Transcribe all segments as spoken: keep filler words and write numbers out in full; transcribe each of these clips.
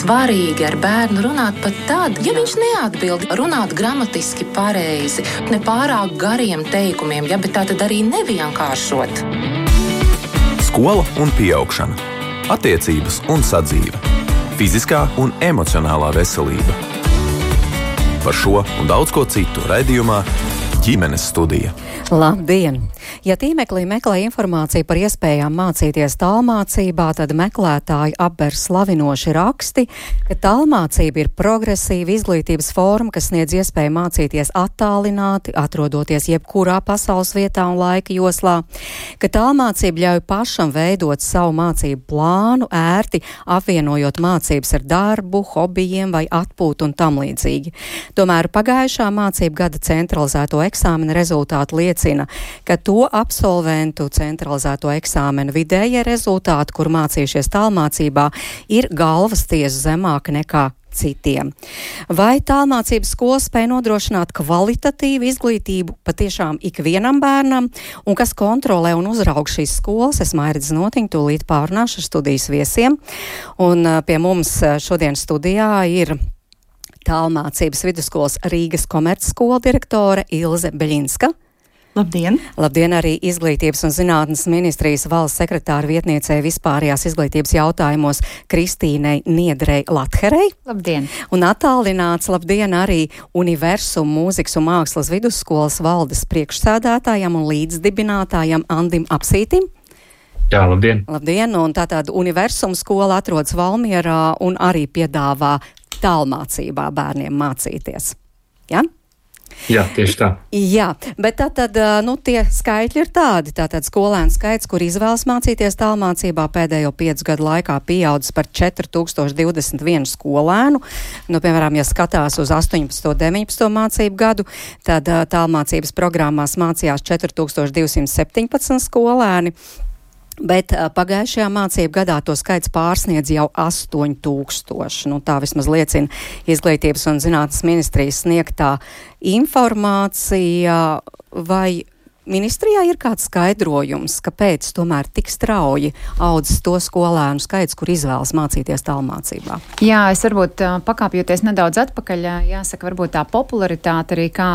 svarīgi ar bērnu runāt pat tad, ja viņš neatbild, runāt gramatiski pareizi, ne pārāk gariem teikumiem, ja, bet tā tad arī nevienkāršot. Skola un pieaugšana, attiecības un sadzīve, fiziskā un emocionālā veselība. Par šo un daudz ko citu raidījumā Ģimenes studija. Labdien! Ja tīmeklī meklē informāciju par iespējām mācīties tālmācībā, tad meklētāji apber slavinoši raksti, ka tālmācība ir progresīva izglītības forma, kas sniedz iespēju mācīties attālināti, atrodoties jebkurā pasaules vietā un laika joslā, ka tālmācība ļauj pašam veidot savu mācību plānu, ērti apvienojot mācības ar darbu, hobijiem vai atpūtu un tam līdzīgi. Tomēr pagājušā mācību gada centralizēto eksāmena rezultāti liecina, ka to absolventu centralizēto eksāmenu vidējie rezultāti, kur mācījušies tālmācībā, ir galvas tiesa zemāka nekā citiem. Vai tālmācības skola spēj nodrošināt kvalitatīvu izglītību patiešām ikvienam bērnam, un kas kontrolē un uzraug šīs skolas? Es Mairida Znotiņa tūlīt pārunāšu ar studijas viesiem, un pie mums šodien studijā ir Tālmācības vidusskolas Rīgas komercskola direktore Ilze Beļinska. Labdien! Labdien arī Izglītības un zinātnes ministrijas valsts sekretāra vietniecei vispārējās izglītības jautājumos Kristīnei Niedrei Latherei. Labdien! Un attālināts labdien arī Universum mūzikas un mākslas vidusskolas valdes priekšsēdētājam un līdzdibinātājam Andim Apsītim. Jā, labdien! Labdien! Un tātad Universum skola atrodas Valmierā un arī piedāvā tālmācībā bērniem mācīties. Ja? Jā, tieši tā. Jā, bet tātad, nu, tie skaitļi ir tādi. Tātad skolēnu skaits, kur izvēlas mācīties tālmācībā, pēdējo piecu gadu laikā pieaudzis par četri tūkstoši divdesmit vienu skolēnu. Nu, piemēram, ja skatās uz astoņpadsmito deviņpadsmito mācību gadu, tad tālmācības programmās mācījās četri tūkstoši divsimt septiņpadsmit skolēni. Bet pagājušajā mācību gadā to skaits pārsniedz jau astoņi tūkstoši. Nu, tā vismaz liecina Izglītības un zinātnes ministrijas sniegtā informācija. Vai ministrijā ir kāds skaidrojums, kāpēc tomēr tik strauji audzis to skolēnu skaits, kur izvēlas mācīties tālmācībā? Jā, es varbūt pakāpjoties nedaudz atpakaļ, jāsaka, varbūt tā popularitāte arī kā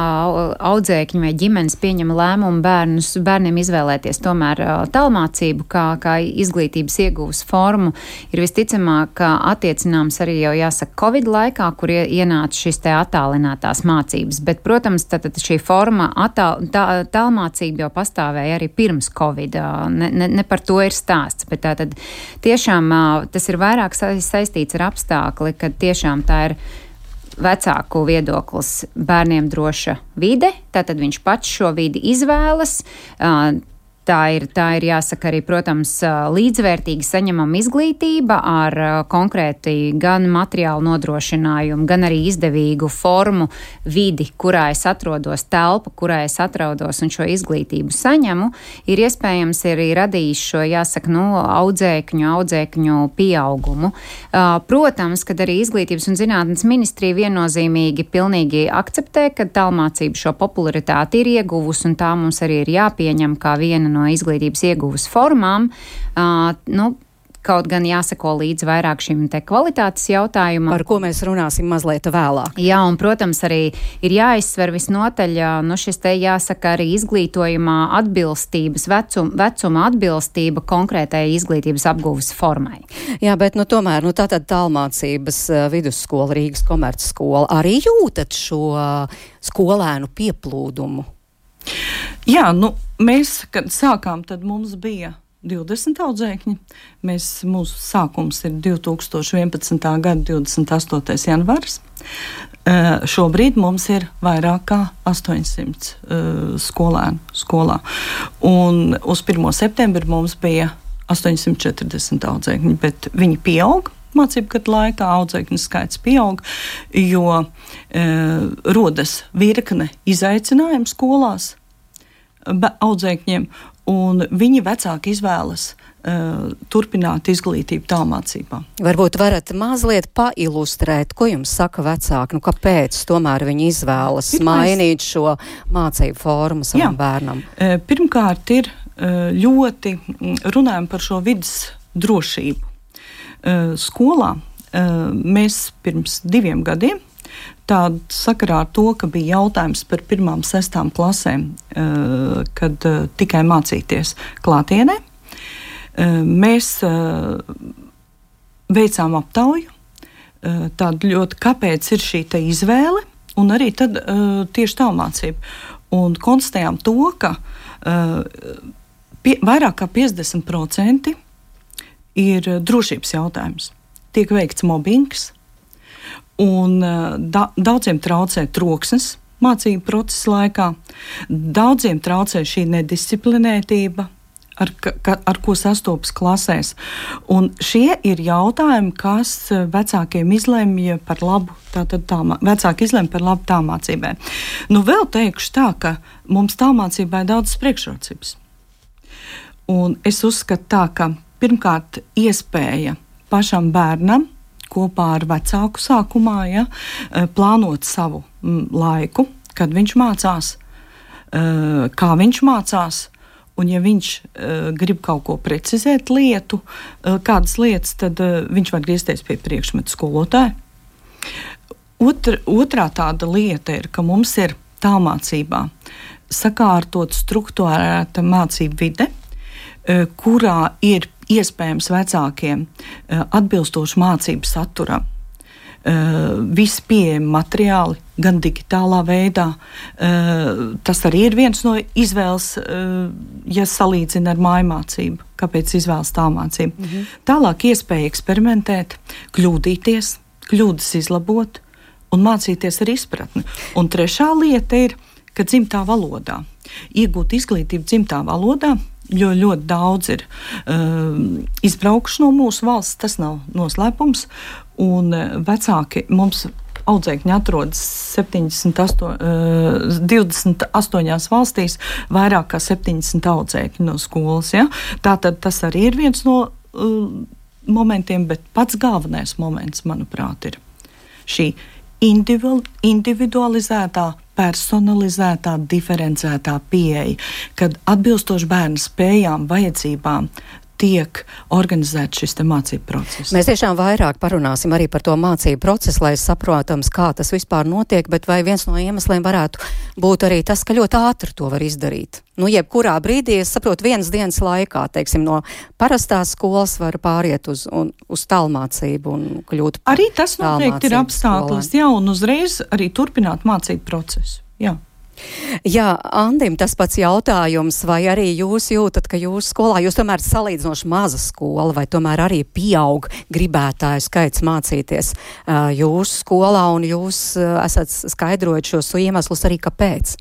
audzēkņi vai ģimenes pieņem lēmumu bērnus, bērniem izvēlēties tomēr tālmācību kā, kā izglītības ieguvas formu, ir visticamāk attiecināms arī jau jāsaka Covid laikā, kur ienāca šis te attālinātās mācības. Bet, protams, tad šī forma attāl, tā, tālmācība jau pastāvēja arī pirms Covid. Ne, ne, ne par to ir stāsts, bet tā tad tiešām tas ir vairāk saistīts ar apstākli, ka tiešām tā ir vecāku viedoklis bērniem droša vide, tātad viņš pats šo vidi izvēlas. Tā ir, tā ir jāsaka arī, protams, līdzvērtīgi saņemama izglītība ar konkrēti gan materiālu nodrošinājumu, gan arī izdevīgu formu, vidi, kurā es atrodos, telpu, kurā es atrodos un šo izglītību saņemu, ir iespējams arī radījis šo, jāsaka, nu, audzēkņu, audzēkņu pieaugumu. Protams, kad arī Izglītības un zinātnes ministrija viennozīmīgi pilnīgi akceptē, ka tālmācība šo popularitāti ir ieguvusi, un tā mums arī ir jāpieņem kā viena no izglītības ieguvas formām, uh, nu, kaut gan jāsako līdz vairāk šim te kvalitātes jautājumam. Par ko mēs runāsim mazliet vēlāk. Jā, un, protams, arī ir jāizsver visnotaļ, nu, šis te jāsaka arī izglītojumā atbilstības, vecum, vecuma atbilstība konkrētai izglītības apgūves formai. Jā, bet, nu, tomēr, nu, tātad tālmācības vidusskola, Rīgas komercskola, arī jūtat šo skolēnu pieplūdumu? Jā, nu, mēs, kad sākām, tad mums bija divdesmit audzēkņi. Mēs, mūsu sākums ir divi tūkstoši vienpadsmitā gada divdesmit astotais janvārs. Uh, šobrīd mums ir vairāk kā astoņsimt uh, skolēnu skolā. Un uz pirmo septembri mums bija astoņsimt četrdesmit audzēkņi, bet viņi pieaug. Mācību gadu laikā audzēkņu skaits pieaug, jo e, rodas virkne izaicinājumu skolās audzēkņiem, un viņi vecāki izvēlas e, turpināt izglītību tālmācībā. Varbūt varat mazliet pailustrēt, ko jums saka vecāki, nu kāpēc tomēr viņi izvēlas Pirmais... mainīt šo mācību formu savam Jā. bērnam? E, pirmkārt ir e, ļoti runājam par šo vidas drošību. Skolā mēs pirms diviem gadiem tādu sakarā ar to, ka bija jautājums par pirmām sestām klasēm, kad tikai mācīties klātienē, mēs veicām aptauju, tādu ļoti, kāpēc ir šī te izvēle, un arī tad tieši tālmācība. Un konstatējām to, ka pie, vairāk kā piecdesmit procenti ir drošības jautājums. Tiek veikts mobbings, un da, daudziem traucē troksnis mācību procesa laikā, daudziem traucē šī nedisciplinētība, ar, ka, ar ko sastopas klasēs. Un šie ir jautājumi, kas vecākiem izlemj par labu, tātad tā, vecāki izlemj par labu tālmācībai. Nu, vēl teikšu tā, ka mums tālmācībai ir daudzas priekšrocības. Un es uzskatu tā, ka pirmkārt iespēja pašam bērnam kopā ar vecāku sākumā, ja, plānot savu laiku, kad viņš mācās, kā viņš mācās, un ja viņš grib kaut ko precizēt lietu, kādas lietas, tad viņš var griezties pie priekšmetu skolotāja. Otr, otrā tāda lieta ir, ka mums ir tālmācībā sakārtot struktūrēta mācību vide, kurā ir iespējams vecākiem atbilstoši mācību saturam. Visi pieejami materiāli, gan digitālā veidā. Tas arī ir viens no izvēles, ja salīdzina ar mājmācību, kāpēc izvēlas tālmācību. Mhm. Tālāk iespēja eksperimentēt, kļūdīties, kļūdas izlabot un mācīties ar izpratni. Un trešā lieta ir, ka dzimtā valodā. Iegūt izglītību dzimtā valodā, jo ļoti daudz ir uh, izbraukuši no mūsu valsts, tas nav noslēpums, un uh, vecāki mums audzēkņi atrodas septiņdesmit astoņi, uh, divdesmit astoņās valstīs, vairāk kā septiņdesmit audzēkņi no skolas. Ja? Tātad tas arī ir viens no uh, momentiem, bet pats galvenais moments, manuprāt, ir šī individualizētā, personalizētā, diferencētā pieeja, kad atbilstoši bērnu spējām, vajadzībām tiek organizēts šis te mācību process. Mēs tiešām vairāk parunāsim arī par to mācību procesu, lai saprotams, kā tas vispār notiek, bet vai viens no iemesliem varētu būt arī tas, ka ļoti ātri to var izdarīt. Nu, jebkurā brīdī, es saprotu, vienas dienas laikā, teiksim, no parastās skolas var pāriet uz, un, uz tālmācību un kļūt par arī tas noteikti ir apstākļus, jā, un uzreiz arī turpināt mācību procesu, jā. Jā, Andim, tas pats jautājums, vai arī jūs jūtat, ka jūsu skolā, jūs tomēr salīdzinoši maza skola, vai tomēr arī pieaug gribētāju skaits mācīties uh, jūsu skolā, un jūs uh, esat skaidrojot šos iemeslus arī, kāpēc?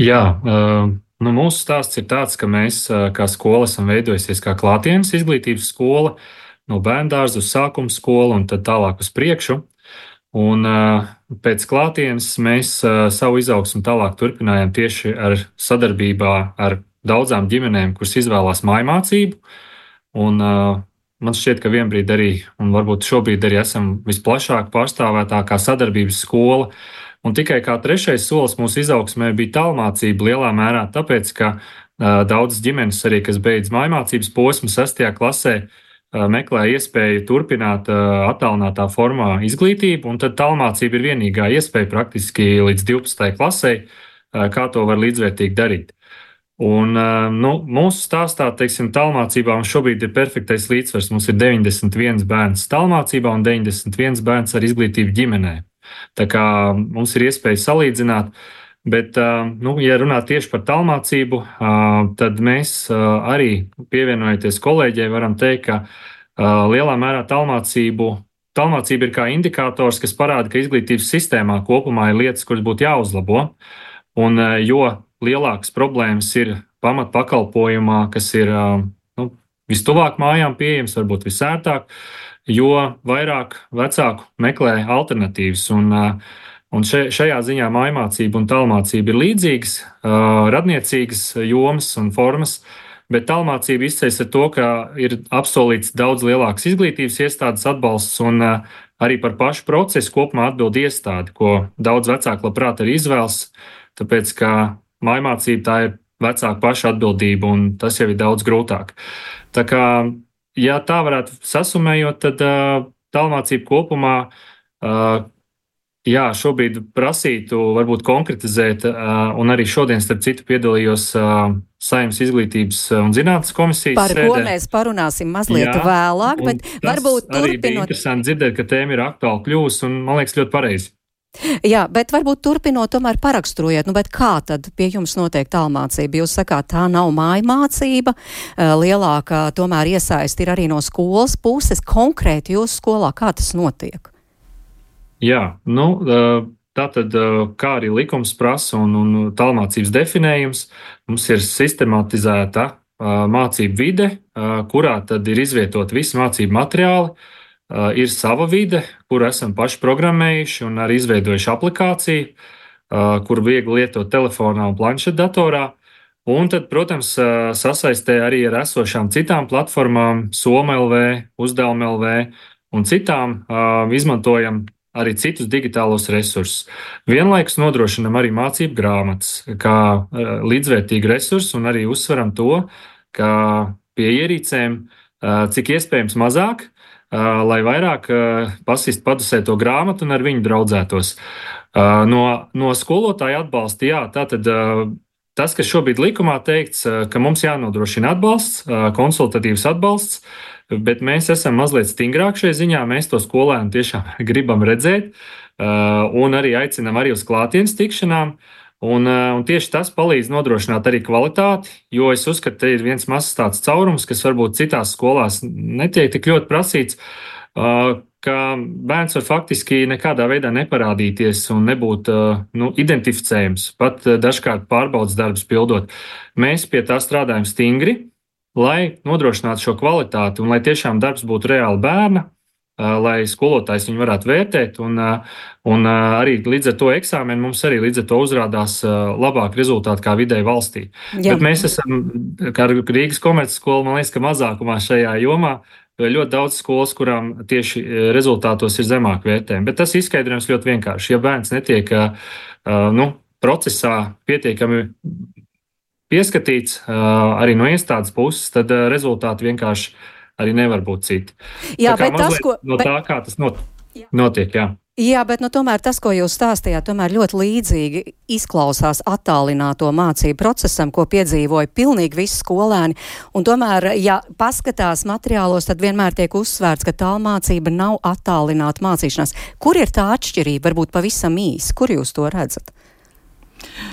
Jā, uh, nu mūsu stāsts ir tāds, ka mēs uh, kā skola esam veidojusies kā klātienes izglītības skola, no bērndārza uz sākuma skolu un tad tālāk uz priekšu. Un uh, pēc klātienes mēs uh, savu izaugsmu tālāk turpinājām tieši ar sadarbībā ar daudzām ģimenēm, kuras izvēlās mājmācību. Un uh, man šķiet, ka vienbrīd arī, un varbūt šobrīd arī esam visplašāk pārstāvētākā sadarbības skola. Un tikai kā trešais solis mūsu izaugsmē bija tālmācība lielā mērā, tāpēc, ka uh, daudzas ģimenes arī, kas beidz mājmācības posmu sestajā klasē, meklē iespēju turpināt uh, attālinātā formā izglītību, un tad tālmācība ir vienīgā iespēja praktiski līdz divpadsmitajai klasei, uh, kā to var līdzvērtīgi darīt. Un uh, nu, mūsu stāstā, teiksim, tālmācībā mums šobrīd ir perfektais līdzsvars. Mums ir deviņdesmit viens bērns tālmācībā un deviņdesmit viens bērns ar izglītību ģimenē. Tā kā mums ir iespēja salīdzināt. Bet, nu, ja runā tieši par tālmācību, tad mēs arī pievienojoties kolēģei varam teikt, ka lielā mērā tālmācību, tālmācība ir kā indikators, kas parāda, ka izglītības sistēmā kopumā ir lietas, kuras būtu jāuzlabo. Un jo lielākas problēmas ir pamatpakalpojumā, kas ir nu, vistuvāk mājām pieejams, varbūt visērtāk, jo vairāk vecāku meklē alternatīvas. Un, Un šajā ziņā mājmācība un tālmācība ir līdzīgas, radniecīgas jomas un formas, bet tālmācība izceļas ar to, ka ir apsolīts daudz lielāks izglītības iestādes atbalsts un arī par pašu procesu kopumā atbild iestādi, ko daudz vecāku labprāt arī izvēlas, tāpēc, ka mājmācība tā ir vecāku pašu atbildība un tas jau ir daudz grūtāk. Tā kā ja tā varētu sasumējot, tad uh, tālmācība kopumā, uh, jā, šobrīd prasītu varbūt konkretizēt, uh, un arī šodien, starp citu, piedalījos uh, Saeimas izglītības un zinātnes komisijas Par sēdē. ko mēs parunāsim mazliet jā, vēlāk, bet varbūt turpinot. Arī bija interesanti dzirdēt, ka tēma ir aktuāli kļūst, un man liekas ļoti pareizi. Jā, bet varbūt turpinot, tomēr paraksturojiet, nu, bet kā tad pie jums notiek tālmācība? Jūs sakāt, tā nav mājmācība, lielākā tomēr iesaist ir arī no skolas puses. Konkrēti jūsu skolā, kā tas notiek? Jā, nu, tātad, kā arī likums prasa un, un tālmācības definējums, mums ir sistematizēta mācību vide, kurā tad ir izvietot visi mācību materiāli. Uh, ir sava vide, kuru esam paši programmējuši un arī izveidojuši aplikāciju, uh, kuru viegli lietot telefonā un planšetdatorā. Un tad, protams, uh, sasaistē arī ar esošām citām platformām, Soma L V, Uzdevuma L V un citām, uh, izmantojam arī citus digitālos resursus. Vienlaikus nodrošinam arī mācību grāmatas kā uh, līdzvērtīgu resursu un arī uzsveram to, ka pie ierīcēm uh, cik iespējams mazāk, Uh, lai vairāk uh, pasist padusē to grāmatu un ar viņu draudzētos. Uh, no, no skolotāja atbalsta, jā, tātad uh, tas, kas šobrīd likumā teikts, uh, ka mums jānodrošina atbalsts, uh, konsultatīvs atbalsts, bet mēs esam mazliet stingrāk šajā ziņā, mēs to skolēnu tiešām gribam redzēt uh, un arī aicinam arī uz klātienes tikšanām. Un, un tieši tas palīdz nodrošināt arī kvalitāti, jo es uzskatu, ka ir viens mazs tāds caurums, kas varbūt citās skolās netiek tik ļoti prasīts, ka bērns var faktiski nekādā veidā neparādīties un nebūt nu, identificējams, pat dažkārt pārbaudas darbus pildot. Mēs pie tā strādājam stingri, lai nodrošinātu šo kvalitāti un lai tiešām darbs būtu reāli bērna, lai skolotājs viņu varētu vērtēt, un, un arī līdz ar to eksāmenu mums arī līdz ar to uzrādās labāk rezultāti kā vidēji valstī. Jā. Bet mēs esam, kā Rīgas komercskola, man liekas, ka mazākumā šajā jomā, ļoti daudz skolas, kurām tieši rezultātos ir zemāk vērtējumi. Bet tas izskaidrojums ļoti vienkārši. Ja bērns netiek nu, procesā pietiekami pieskatīts arī no iestādes puses, tad rezultāti vienkārši arī nevar būt citi. Jā, bet tas, ko... No tā, kā tas not... notiek, jā. Jā, bet nu, tomēr tas, ko jūs stāstījāt, tomēr ļoti līdzīgi izklausās attālināto mācību procesam, ko piedzīvoja pilnīgi visi skolēni. Un tomēr, ja paskatās materiālos, tad vienmēr tiek uzsvērts, ka tālmācība nav attālināta mācīšanās. Kur ir tā atšķirība? Varbūt pavisam īsi. Kur jūs to redzat?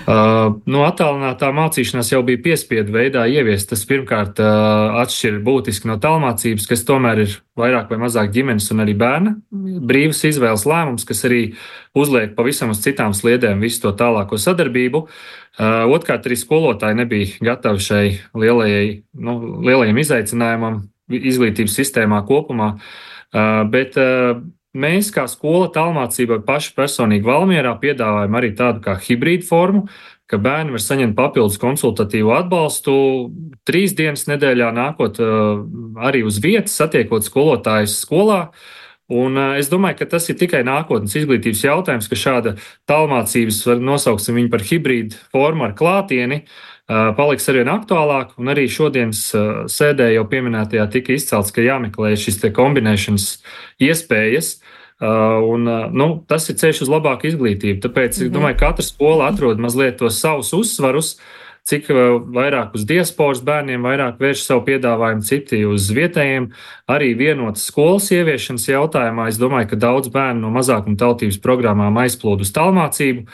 Uh, no attālinātā mācīšanās jau bija piespiedu veidā ieviest. Tas pirmkārt uh, atšķir būtiski no tālmācības, kas tomēr ir vairāk vai mazāk ģimenes un arī bērna brīvas izvēles lēmums, kas arī uzliek pavisam uz citām sliedēm visu to tālāko sadarbību. Uh, Otkārt, arī skolotāji nebija gatavi šai lielajai, nu, lielajam izaicinājumam izglītības sistēmā kopumā, uh, bet uh, mēs, kā skola tālmācībai paši personīgi Valmierā, piedāvājam arī tādu kā hibrīdu formu, ka bērni var saņemt papildus konsultatīvu atbalstu trīs dienas nedēļā, nākot arī uz vietas, satiekot skolotājus skolā. Un es domāju, ka tas ir tikai nākotnes izglītības jautājums, ka šāda tālmācības, nosauksim viņu par hibrīdu formu ar klātieni, paliks arvien aktuālāk, un arī šodienas sēdē jau pieminētajā tika izcelts, ka jāmeklē šis te kombinēšanas iespējas, un nu, tas ir ceļš uz labāku izglītību. Tāpēc mm-hmm. es domāju, ka katra skola atrod mazliet tos savus uzsvarus, cik vairāk uz diasporas bērniem, vairāk vērš savu piedāvājumu, citi uz vietējiem. Arī vienotas skolas ieviešanas jautājumā es domāju, ka daudz bērnu no mazākuma tautības programmām aizplūd uz tālmācību,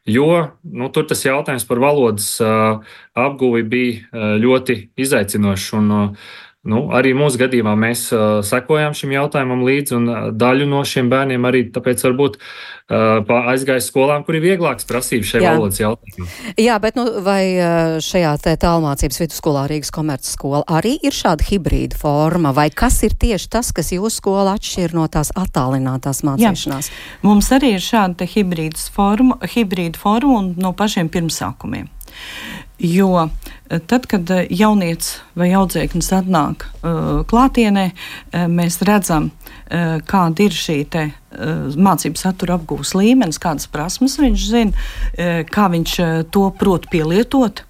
jo nu, tur tas jautājums par valodas uh, apguvi bija uh, ļoti izaicinošs. Un, uh, nu, arī mūsu gadījumā mēs uh, sekojām šim jautājumam līdzi, un uh, daļu no šiem bērniem arī tāpēc varbūt uh, aizgāja skolām, kur ir vieglāks prasības šai Jā. Valodas jautājumam. Jā, bet nu, vai šajā tālmācības vidusskolā Rīgas komercskola arī ir šāda hibrīda forma, vai kas ir tieši tas, kas jūsu skola atšķir no tās attālinātās mācīšanās? Jā. Mums arī ir šāda hibrīda forma, hibrīda forma un no pašiem pirmsākumiem. Jo tad, kad jaunietis vai audzēknis atnāk uh, klātienē, uh, mēs redzam, uh, kāda ir šī te uh, mācību satura apgūves līmenis, kādas prasmes viņš zina, uh, kā viņš uh, to prot pielietot.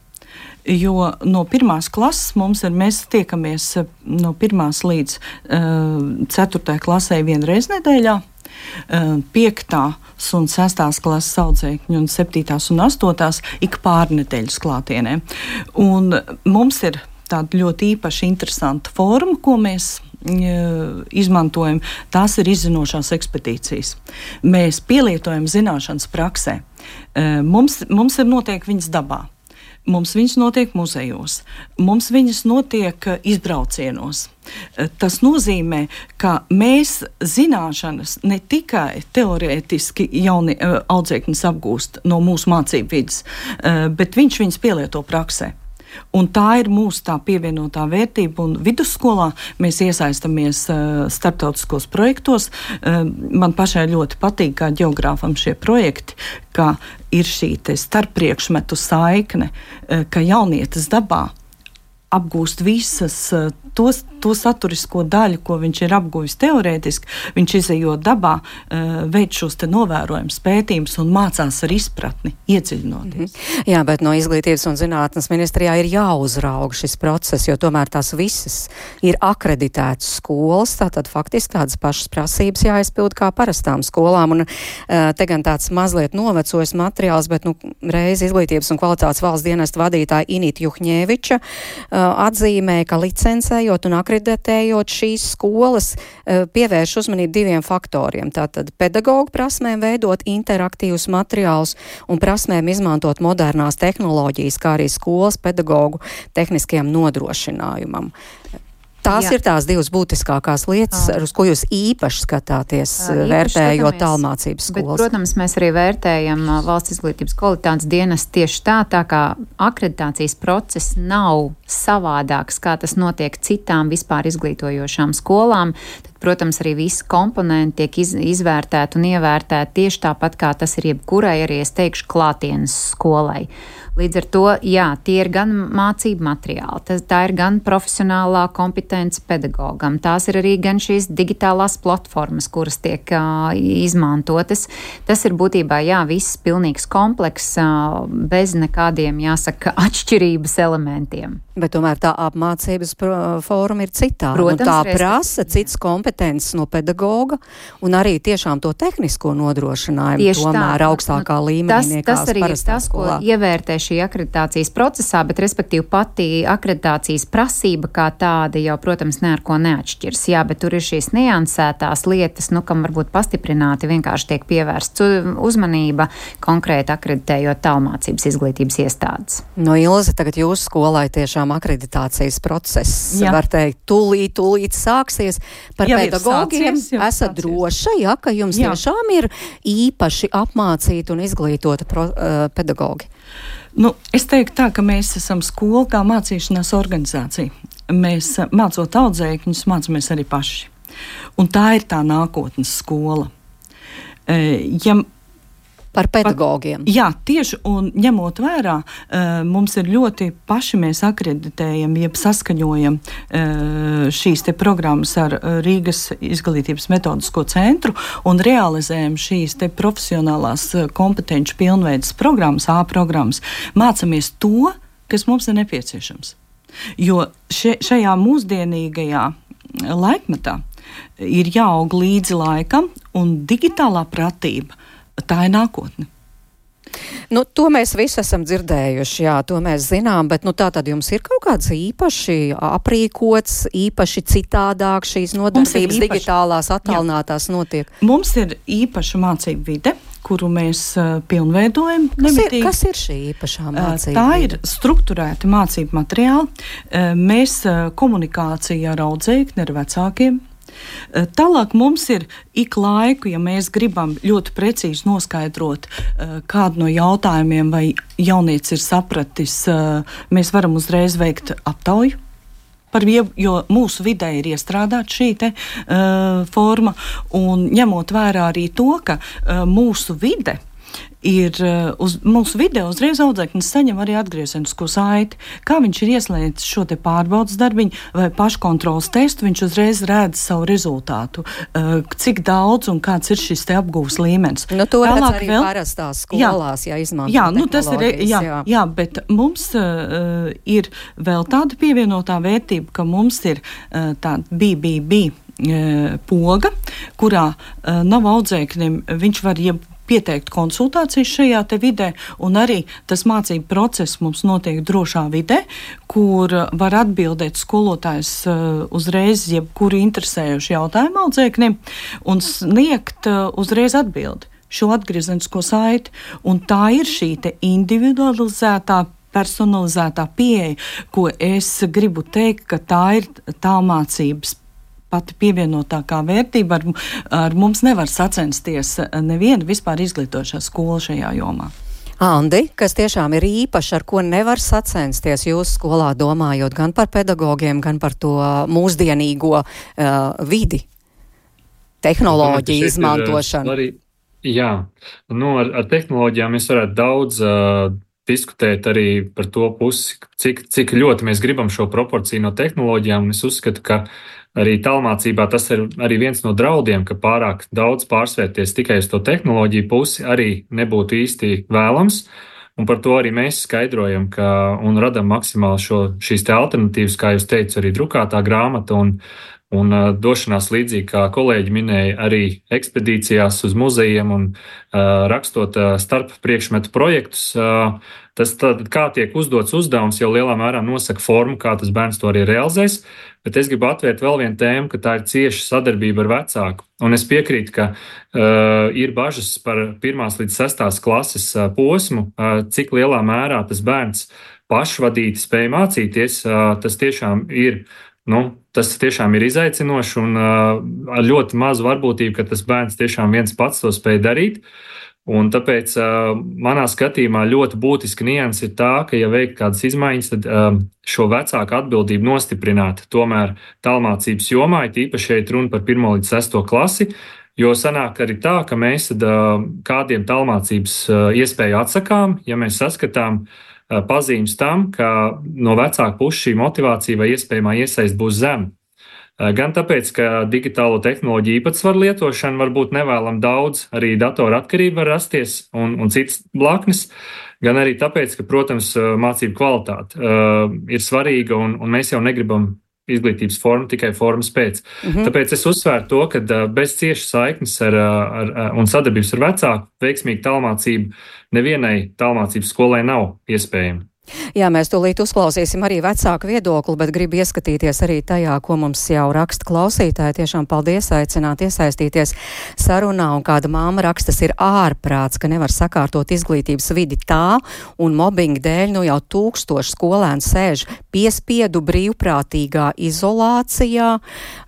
Jo no pirmās klases mums ir, mēs tiekamies no pirmās līdz uh, ceturtajai klasē vienreiz nedēļā, uh, piektās un sestās klases audzēkņi un septītās un astotās ik pārnedēļas klātienē. Un mums ir tāda ļoti īpaši interesanta forma, ko mēs izmantojam, tās ir izzinošās ekspedīcijas. Mēs pielietojam zināšanas praksē. Mums, mums ir notiek viņas dabā. Mums viņas notiek muzejos, mums viņas notiek izbraucienos. Tas nozīmē, ka mēs zināšanas ne tikai teorētiski jauni audzēkņus apgūst no mūsu mācību vidas, bet viņš viņas pielieto praksē. Un tā ir mūsu tā pievienotā vērtība, un vidusskolā mēs iesaistamies uh, starptautiskos projektos. Uh, man pašai ļoti patīk, kā ģeogrāfam šie projekti, ka ir šī te starppriekšmetu saikne, uh, ka jaunietis dabā apgūst visas uh, tos, to saturisko daļu, ko viņš ir apguvis teorētiski, viņš izejot dabā, uh, veic šos te novērojumus, pētījumus un mācās ar izpratni, iedziļinoties. Mm-hmm. Jā, bet no Izglītības un zinātnes ministrijā ir jāuzrauga šis process, jo tomēr tās visas ir akreditētas skolas, tātad faktiski tādas pašas prasības jāizpild kā parastām skolām. Un uh, te gan tāds mazliet novecojis materiāls, bet nu, reiz Izglītības un kvalitātes valsts dienesta vadītāja Inita Juhņēviča uh, atzīmē, ka licencējot un akreditējot šīs skolas pievērš uzmanību diviem faktoriem. Tātad pedagoģu prasmēm veidot interaktīvus materiālus un prasmēm izmantot modernās tehnoloģijas, kā arī skolas pedagoģu tehniskajam nodrošinājumam. Tās Jā. ir tās divas būtiskākās lietas, ar uz ko jūs īpaši skatāties, īpaši vērtējot tālmācības skolas. Bet, protams, mēs arī vērtējam valsts izglītības kvalitātes dienas tieši tā, tā kā akreditācijas process nav savādāks, kā tas notiek citām vispār izglītojošām skolām. Tad, protams, arī visi komponenti tiek iz, izvērtēti un ievērtēti tieši tāpat, kā tas ir jebkurai arī, es teikšu, klātienes skolai. Līdz ar to, jā, tie ir gan mācību materiāli, tas, tā ir gan profesionālā kompetence pedagogam, tās ir arī gan šīs digitālās platformas, kuras tiek uh, izmantotas. Tas ir būtībā, jā, viss pilnīgs komplekss, uh, bez nekādiem, jāsaka, atšķirības elementiem. Bet tomēr tā apmācības forma ir citāda. Protams, tā reiz... prasa cits kompetences no pedagoga un arī tiešām to tehnisko nodrošinājumu tieši tomēr tā. augstākā nu, līmenī nekās tas arī parastā tas, skolā. Ko ievērtē šī akreditācijas procesā, bet respektīvi pati akreditācijas prasība kā tāda jau, protams, ne ar ko neatšķirs. Jā, bet tur ir šīs niansētās lietas, nu, kam varbūt pastiprināti vienkārši tiek pievērsts uzmanība konkrēti akreditējot tālmācības izglītības iestādes. No Ilze, tagad jūsu skolai tiešām akreditācijas process, jā. var teikt, tūlīt, tūlīt sāksies. Par jau pedagogiem sācies, esat droša, ja, ka jums jā. tiešām ir īpaši apmācīti un izglītota pro, uh, pedagogi? Nu, es teiktu tā, ka mēs esam skola kā mācīšanās organizācija. Mēs mācot audzēkņus, mācāmies arī paši. Un tā ir tā nākotnes skola. Ja Par pedagogiem. Jā, tieši, un ņemot vērā, mums ir ļoti paši mēs akreditējam, jeb saskaņojam šīs te programmas ar Rīgas izglītības metodisko centru un realizējam šīs te profesionālās kompetenci pilnveidas programmas, A programmas, mācamies to, kas mums ir nepieciešams. Jo še, šajā mūsdienīgajā laikmetā ir jāaug līdzi laikam, un digitālā pratība tā ir nākotne. Nu, to mēs visi esam dzirdējuši, jā, to mēs zinām, bet nu, tā tad jums ir kaut kāds īpaši aprīkots, īpaši citādāk šīs nodarbības īpaši, digitālās, attālinātās jā. notiek? Mums ir īpaša mācību vide, kuru mēs uh, pilnveidojam. Kas ir, kas ir šī īpašā mācība? Tā ir strukturēta mācību materiāli. Uh, mēs uh, komunikācija ar audzēkni, ar vecākiem. Tālāk mums ir ik laiku, ja mēs gribam ļoti precīzi noskaidrot uh, kādu no jautājumiem, vai jaunietis ir sapratis, uh, mēs varam uzreiz veikt aptauju. Par, jo mūsu vidē ir iestrādāta šī te, uh, forma, un ņemot vērā arī to, ka uh, mūsu vide ir uz mūsu video uzreiz audzēknis saņem arī atgriezenisko saiti, kā viņš ir ieslēdzis šo te pārbaudas darbiņu vai paškontrolas testu, viņš uzreiz redz savu rezultātu, cik daudz un kāds ir šis te apgūves līmenis. Nu, to redz arī vēl parastās skolās, jā, ja izmanto jā, nu, tas ir, jā, jā. jā, bet mums uh, ir vēl tāda pievienotā vērtība, ka mums ir uh, tāda B B B uh, poga, kurā uh, nav audzēknim, viņš var jeb pieteikt konsultācijas šajā te vidē, un arī tas mācību process mums notiek drošā vidē, kur var atbildēt skolotājs uh, uzreiz jebkuru interesējuši jautājumu audzēknim un sniegt uh, uzreiz atbildi šo atgriezenisko saiti, un tā ir šī te individualizētā, personalizētā pieeja, ko es gribu teikt, ka tā ir tālmācības pati pievienotākā vērtība. Ar, ar mums nevar sacensties neviena vispār izglītošā skola šajā jomā. Andi, kas tiešām ir īpaši, ar ko nevar sacensties jūsu skolā, domājot gan par pedagogiem, gan par to mūsdienīgo uh, vidi, tehnoloģiju izmantošanu? Arī, jā, nu, ar, ar tehnoloģijām mēs varētu daudz uh, diskutēt arī par to pusi, cik, cik ļoti mēs gribam šo proporciju no tehnoloģijām, un es uzskatu, ka arī tālmācībā tas ir arī viens no draudiem, ka pārāk daudz pārsvērties tikai uz to tehnoloģiju pusi arī nebūtu īsti vēlams. Un par to arī mēs skaidrojam, ka, un radam maksimāli šo, šīs te alternatīvas, kā jūs teicu, arī drukātā grāmata un, un uh, došanās līdzīgi, kā kolēģi minēja, arī ekspedīcijās uz muzejiem un uh, rakstot uh, starp priekšmetu projektus. Uh, tas tad, kā tiek uzdots uzdevums, jau lielā mērā nosaka formu, kā tas bērns to arī realizēs. Bet es gribu atvērt vēl vienu tēmu, ka tā ir cieša sadarbība ar vecāku. Un es piekrītu, ka uh, ir bažas par pirmās līdz sestās klases uh, posmu, uh, cik lielā mērā tas bērns pašvadīti spēj mācīties. Uh, tas tiešām ir, nu, tas tiešām ir izaicinoši un uh, ar ļoti mazu varbūtību, ka tas bērns tiešām viens pats to spēj darīt. Un tāpēc uh, manā skatījumā ļoti būtiska nianse ir tā, ka, ja veikt kādas izmaiņas, tad uh, šo vecāku atbildību nostiprināt tomēr tālmācības jomā, it īpaši šeit runa par pirmo līdz sesto klasi, jo sanāk arī tā, ka mēs tad uh, kādiem tālmācības uh, iespēju atsakām, ja mēs saskatām uh, pazīmes tam, ka no vecāka puses šī motivācija vai iespējamā iesaist būs zema. Gan tāpēc, ka digitālo tehnoloģiju īpatsvaru lietošana var būt nevēlam daudz, arī datora atkarība var rasties un, un citas blaknes, gan arī tāpēc, ka, protams, mācību kvalitāte uh, ir svarīga un, un mēs jau negribam izglītības formu tikai formas pēc. Mm-hmm. Tāpēc es uzsvēru to, ka uh, bez ciešas saiknes ar, ar, ar, un sadarbības ar vecāku veiksmīga tālmācība nevienai tālmācības skolai nav iespējama. Jā, mēs tūlīt uzklausīsim arī vecāku viedokli, bet gribu ieskatīties arī tajā, ko mums jau raksta klausītāji. Tiešām paldies, aicināt iesaistīties sarunā, un kāda māma raksta, tas ir ārprāts, ka nevar sakārtot izglītības vidi tā, un mobbinga dēļ nu jau tūkstoši skolēnu sēž piespiedu brīvprātīgā izolācijā,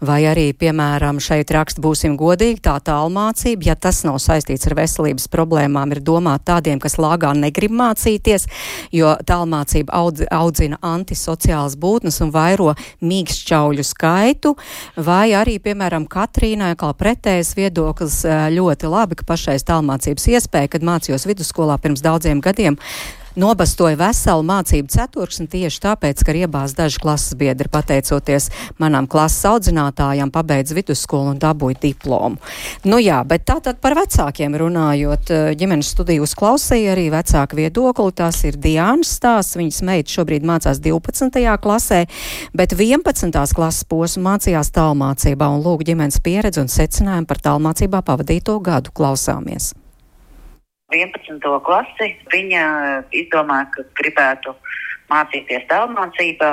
vai arī, piemēram, šeit raksta, būsim godīgi, tā tālmācība, ja tas nav saistīts ar veselības problēmām, ir domāt tādiem, kas lāgā negrib mācīties, jo tālmācība Mācība audz, audzina antisociālas būtnes un vairo mīkšķauļu skaitu, vai arī, piemēram, Katrīnai, kā pretējs viedoklis, ļoti labi, ka pašreiz tālmācības iespēja, kad mācījos vidusskolā pirms daudziem gadiem, nobastoja veselu mācību ceturksni tieši tāpēc, ka ir iebāz daži klases biedri, pateicoties manām klases audzinātājām, pabeidz vidusskolu un dabūja diplomu. Nu jā, bet tātad par vecākiem runājot, ģimenes studiju uzklausīja arī vecāku viedokli, tās ir Diānas stāsts, viņas meita šobrīd mācās divpadsmitajā klasē, bet vienpadsmitās klases posmu mācījās tālmācībā, un lūk ģimenes pieredzi un secinājumu par tālmācībā pavadīto gadu. Klausāmies. vienpadsmito klasi, viņa izdomāja, ka gribētu mācīties tālmācībā.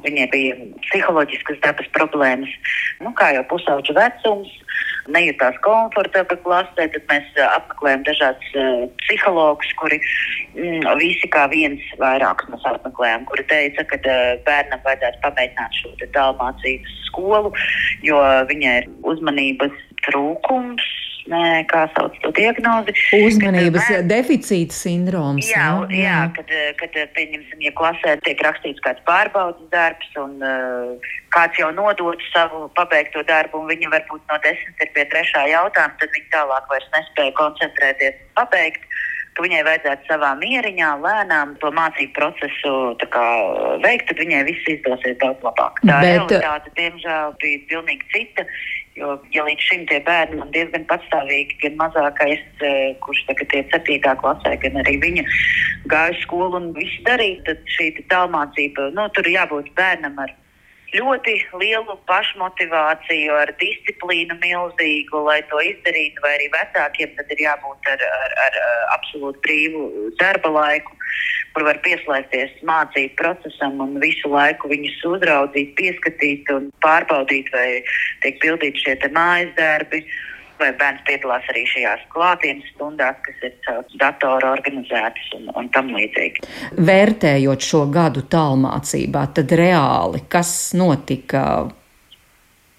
Viņai bija psiholoģiskas dabas problēmas, nu, kā jau pusauģu vecums, nejūtās komfortabli klasē, tad mēs apmeklējam dažādus uh, psihologus, kuri mm, visi kā viens vairākus mēs apmeklējam, kuri teica, ka uh, bērnam vajadzētu pamēģināt šo tālmācības skolu, jo viņai ir uzmanības trūkums, Nē, kā sauc to diagnozi. Uzmanības kad, deficīta sindroms. Jā, jā, jā kad, kad, pieņemsim, ja klasē tiek rakstīts kāds pārbaudas darbs un uh, kāds jau nodod savu pabeigto darbu un viņa varbūt no desmit ir pie trešā jautājuma, tad viņa tālāk vairs nespēja koncentrēties pabeigt. ka viņai vajadzētu savā mieriņā, lēnām to mācību procesu tā kā veikt, tad viņai viss izdosies daudz labāk. Tā Bet... realitāte, diemžēl, bija pilnīgi cita, jo, ja līdz šim tie bērni man diezgan patstāvīgi, gan mazākais, kurš tagad ir septītā klasē, gan arī viņa gāja skolu un visu darīja, tad šī tālmācība, nu, tur jābūt bērnam ar ļoti lielu pašmotivāciju, ar disciplīnu milzīgu, lai to izdarītu, vai arī vecākiem tad ir jābūt ar, ar, ar absolūti brīvu darba laiku, kur var pieslēgties mācību procesam un visu laiku viņus uzraudzīt, pieskatīt un pārbaudīt, vai tiek pildīti šie te mājas darbi, vai bērns piedalās arī šajās klātienes stundās, kas ir caur datoru organizētas un, un tam līdzīgi. Vērtējot šo gadu tālmācībā, tad reāli, kas notika,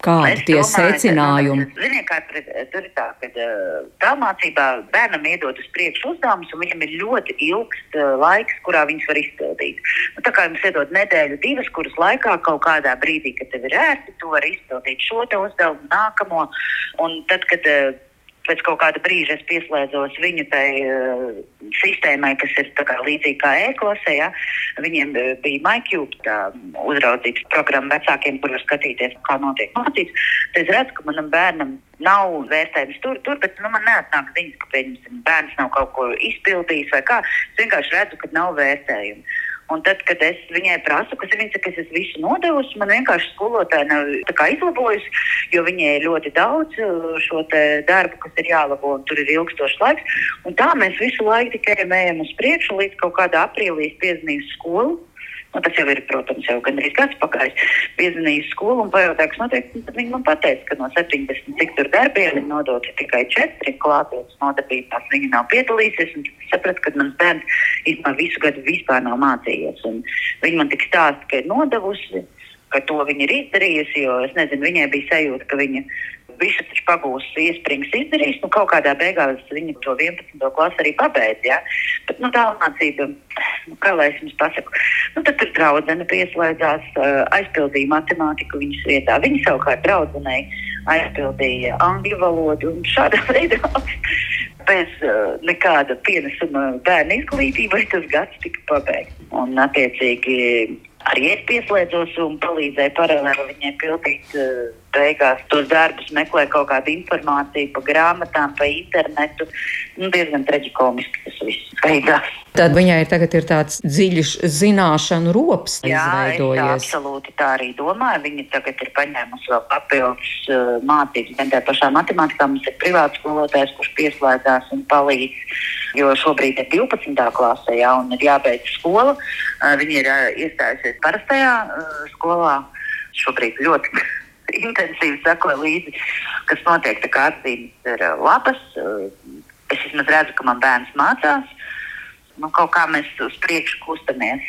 kādi tie secinājumi? Ziniet, kā tur ir tā, ka tālmācībā bērnam iedod uz priekšu uzdevumus, un viņam ir ļoti ilgs laiks, kurā viņus var izpildīt. Nu, tā kā jums iedod nedēļu, divas, kuras laikā kaut kādā brīdī, kad tev ir ērti, tu vari izpildīt šo te uzdevumu, nākamo, un tad, kad pēc kaut kāda brīža es pieslēdzos viņu tai uh, sistēmai, kas ir tā kā līdzīgi kā e-klasē, ja? Viņiem bija MyCube, tā uzraudzības programma vecākiem, kur var skatīties, kā notiek mācības. Tad es redzu, ka manam bērnam nav vērtējums tur, tur, bet nu, man neatnāk ziņas, ka pieņemsim, bērns nav kaut ko izpildījis vai kā. Es vienkārši redzu, ka nav vērtējumu. Un tad, kad es viņai prasu, kas ir viņa, ka es visu nodevusi, man vienkārši skolotāji nav tā kā izlabojusi, jo viņai ir ļoti daudz šo te darbu, kas ir jālabo, un tur ir ilgstošs laiks. Un tā mēs visu laiku tikai ejam uz priekšu, līdz kaut kādā aprīlī piezvanīju skolu. Nu, tas jau ir, protams, jau gandrīz gads pagājis. Piezvanīju skolu un pajautāju, kas notiek. Tad viņi man pateica, ka no septiņdesmit cik tur darbiem ir nodoti tikai četri klātienes nodarbībās. Viņi nav piedalīsies, un es sapratu, ka mans bērns īstenībā visu gadu vispār nav mācījies. Un viņi man tik stāsta, ka ir nodevusi, ka to viņa ir izdarījusi, jo es nezinu, viņai bija sajūta, ka viņa visu taču pagūs iesprings izdarījis, nu kaut kādā beigās viņa to vienpadsmito klasi arī pabeidz, jā. Bet, nu, tālmācība, nu, kā lai es jums pasaku, nu, tad tur draudzene pieslēdzās, aizpildīja matemātiku viņas vietā. Viņa savukārt draudzenei aizpildīja angļu valodu un šādā veidā bez uh, nekāda pienesuma bērnu izglītībai tas gads tika pabeigts. Un, attiecīgi, arī es pieslēdzos un palīdzēju paralēli viņai pildīt uh, beigās tos darbus, meklēju kaut kādu informāciju pa grāmatām, pa internetu. Nu, diezgan traģikomiski tas viss beigās. Tad viņai tagad ir tāds dziļš zināšanu rops izveidojies. Jā, es absolūti tā arī domāju. Viņa tagad ir paņēmusi vēl papildus uh, mācības. Gan tā pašā matemātikā mums ir privāts skolotājs, kurš pieslēdzās un palīdz. Jo šobrīd ir divpadsmitā klasē, jā, un ir jābeidz skola. Uh, viņa ir uh, iestājusies parastajā uh, skolā. Šobrīd ļoti intensīvi sakoju līdzi, kas notiek, tā kā atzīmes ir uh, labas. Uh, es vismaz redzu, ka man bērns mācās. Nu, kaut kā mēs uz priekšu kustamies.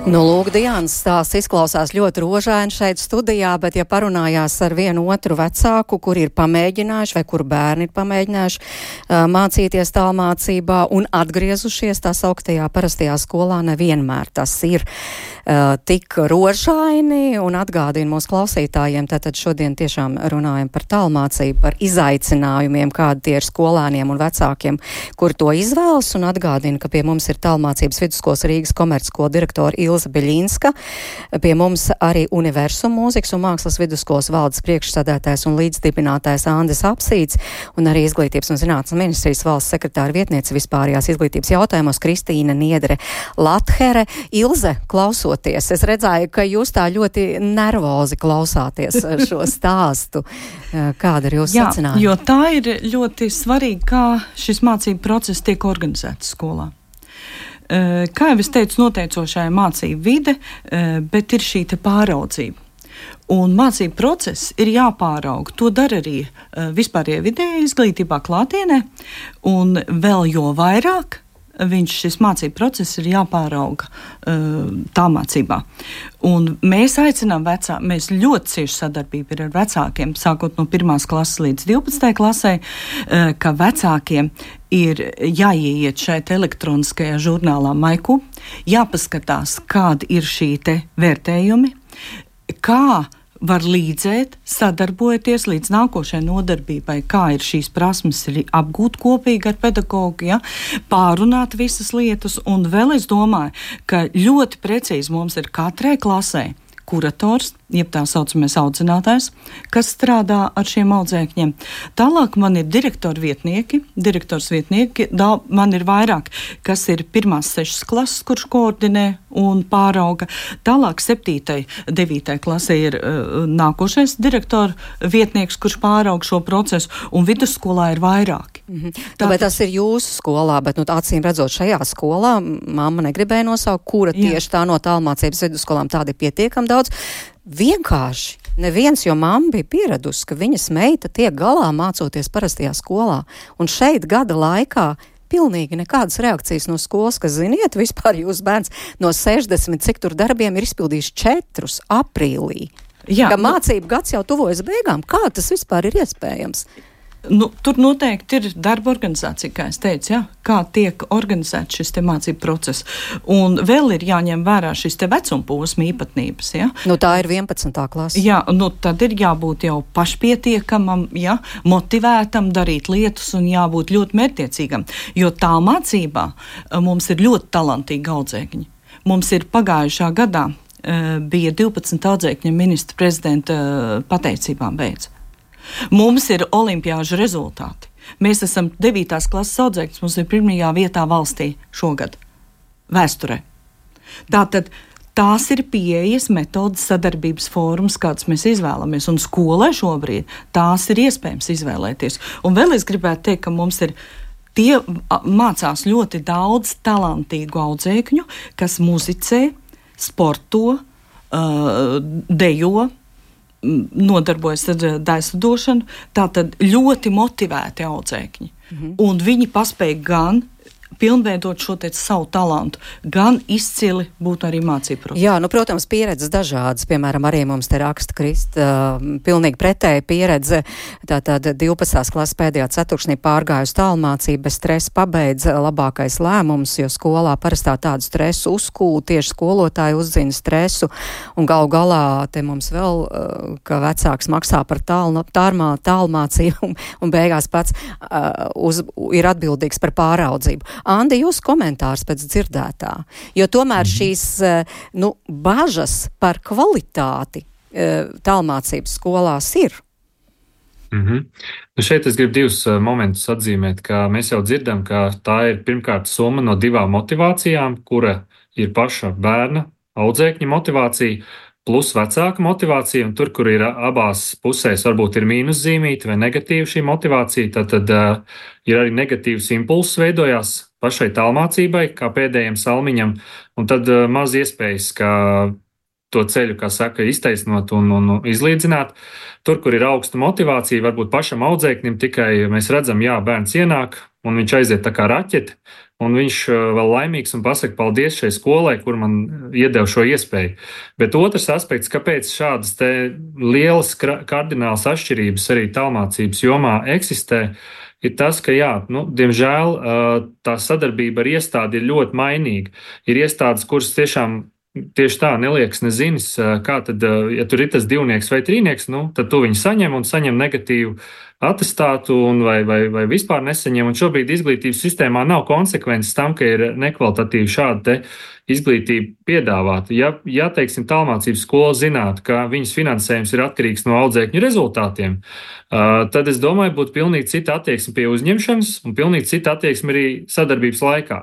Nu, lūk, Diānas stāsts izklausās ļoti rožaini šeit studijā, bet ja parunājās ar vienu otru vecāku, kur ir pamēģinājuši vai kur bērni ir pamēģinājuši uh, mācīties tālmācībā un atgriezušies tā sauktajā parastajā skolā, nevienmēr tas ir uh, tik rožaini, un atgādina mūsu klausītājiem, tātad šodien tiešām runājam par tālmācību, par izaicinājumiem, kādi tie ir skolēniem un vecākiem, kur to izvēlas, un atgādina, ka pie mums ir tālmācības vidusskolas Rīgas komercskola direktora Ilze Beļinska, pie mums arī Universum mūzikas un mākslas vidusskolas valdes priekšsēdētājs un līdzdibinātājs Andris Apsīts, un arī Izglītības un zinātnes ministrijas valsts sekretāra vietniece vispārējās izglītības jautājumos Kristīna Niedre Lathere. Ilze, klausoties, es redzēju, ka jūs tā ļoti nervozi klausāties šo stāstu. Kāda ir jūsu secinājuma? Jo tā ir ļoti svarīgi, kā šis mācību process tiek organizēts skolā. Kā jau es teicu, noteicošā mācību vide, bet ir šī te pāraudzība. Un mācību process ir jāpārauga. To dara arī vispārējā vidējā izglītībā klātienē, un vēl jo vairāk viņš šis mācību process ir jāpārauga uh, tālmācībā. Un mēs aicinām vecāku, mēs ļoti cieši sadarbību ir ar vecākiem, sākot no pirmās klases līdz divpadsmitajai klasē, uh, ka vecākiem ir jāieiet šeit elektroniskajā žurnālā MyCube, jāpaskatās, kādi ir šī te vērtējumi, kā var līdzēt, sadarbojoties līdz nākošajai nodarbībai, kā ir šīs prasmes ir apgūt kopīgi ar pedagogu, ja, pārunāt visas lietas, un vēl es domāju, ka ļoti precīzi mums ir katrai klasē kurators, jeb tā saucamais audzinātājs, kas strādā ar šiem audzēkņiem. Tālāk man ir direktori vietnieki, direktors vietnieki, da, man ir vairāk, kas ir pirmās sešas klases, kurš koordinē un pārauga. Tālāk septītai, devītai klasē ir uh, nākošais direktora vietnieks, kurš pārauga šo procesu, un vidusskolā ir vairāki. Mhm. Tāpēc tas ir jūsu skolā, bet nu, acīm redzot šajā skolā, mamma negribēja nosaukt, kura Jā. tieši tā no tālmācības vidusskolām tāda ir pietiekam daudz. Vienkārši neviens, jo mamma bija pieradusi, ka viņas meita tiek galā mācoties parastajā skolā. Un šeit gada laikā pilnīgi nekādas reakcijas no skolas, ka, ziniet, vispār jūs bērns no sešdesmit, cik tur darbiem ir izpildījis četrus aprīlī. Jā, ka mācību gads jau tuvojas beigām. Kā tas vispār ir iespējams? Nu, tur noteikti ir darba organizācija, kā es teicu, ja? Kā tiek organizēts šis te mācību process. Un vēl ir jāņem vērā šis te vecuma posma īpatnības. Ja? Nu, tā ir vienpadsmitā klase. Jā, nu, tad ir jābūt jau pašpietiekamam, ja? Motivētam darīt lietas un jābūt ļoti mērķtiecīgam. Jo tā mācībā mums ir ļoti talantīgi audzēkņi. Mums ir pagājušā gadā uh, bija divpadsmit audzēkņu ministra prezidenta uh, pateicībām beidz. Mums ir olimpiāžu rezultāti. Mēs esam devītās klases audzēkņus, mums ir pirmajā vietā valstī šogad, vēsturē. Tātad tās ir pieejas, metodas, sadarbības fórums, kāds mēs izvēlamies, un skolai šobrīd tās ir iespējams izvēlēties. Un vēl es gribētu teikt, ka mums ir tie mācās ļoti daudz talantīgu audzēkņu, kas muzicē, sporto, uh, dejo, nodarbojas ar daislidošanu, tātad ļoti motivēti audzēkņi. Mhm. Un viņi paspēja gan pilnveidot šo te savu talantu, gan izcili būt arī mācību procesā. Jā, nu, protams, pieredzes dažādas. Piemēram, arī mums te raksta Krista, uh, pilnīgi pretēja pieredze. Tātad divpadsmitās klases pēdējā ceturkšnī pārgājusi tālmācību, bez stresa pabeidza labākais lēmums, jo skolā parastā tādu stresu uzkūl, tieši skolotāji uzzina stresu, un galu galā te mums vēl, uh, ka vecāks maksā par tālmā, tālmā, tālmācību, un, un beigās pats uh, uz, ir atbildīgs par pāraudzību. Andi, jūs komentārs pēc dzirdētā, jo tomēr šīs nu, bažas par kvalitāti tālmācības skolās ir. Mm-hmm. Nu šeit es gribu divus uh, momentus atzīmēt, ka mēs jau dzirdam, ka tā ir pirmkārt summa no divām motivācijām, kura ir paša bērna, audzēkņa motivācija, plus vecāka motivācija, un tur, kur ir abās pusēs, varbūt ir mīnuszīmīta vai negatīva šī motivācija, tad, tad uh, ir arī negatīvs impulss veidojās pašai tālmācībai, kā pēdējiem salmiņam, un tad uh, maz iespējas, ka to ceļu, kā saka, iztaisnot un, un izlīdzināt. Tur, kur ir augsta motivācija, varbūt pašam audzēknim tikai mēs redzam, jā, bērns ienāk, un viņš aiziet tā kā raķete, un viņš vēl laimīgs un pasaka paldies šai skolai, kur man iedeva šo iespēju. Bet otrs aspekts, kāpēc šādas te lielas kardinālas atšķirības arī tālmācības jomā eksistē, ir tas, ka, jā, nu, diemžēl tā sadarbība ar iestādi ir ļoti mainīga. Ir iestādes, kuras tiešām tieši tā neliekas nezinis, kā tad, ja tur ir tas divnieks vai trīnieks, nu, tad tu viņu saņem un saņem negatīvu atestātu un vai, vai, vai vispār nesaņem. Un šobrīd izglītības sistēmā nav konsekvences tam, ka ir nekvalitatīvi šāda te izglītība piedāvāta. Ja, ja teiksim, tālmācības skola zinātu, ka viņas finansējums ir atkarīgs no audzēkņu rezultātiem, uh, tad es domāju, būtu pilnīgi cita attieksme pie uzņemšanas un pilnīgi cita attieksme arī sadarbības laikā.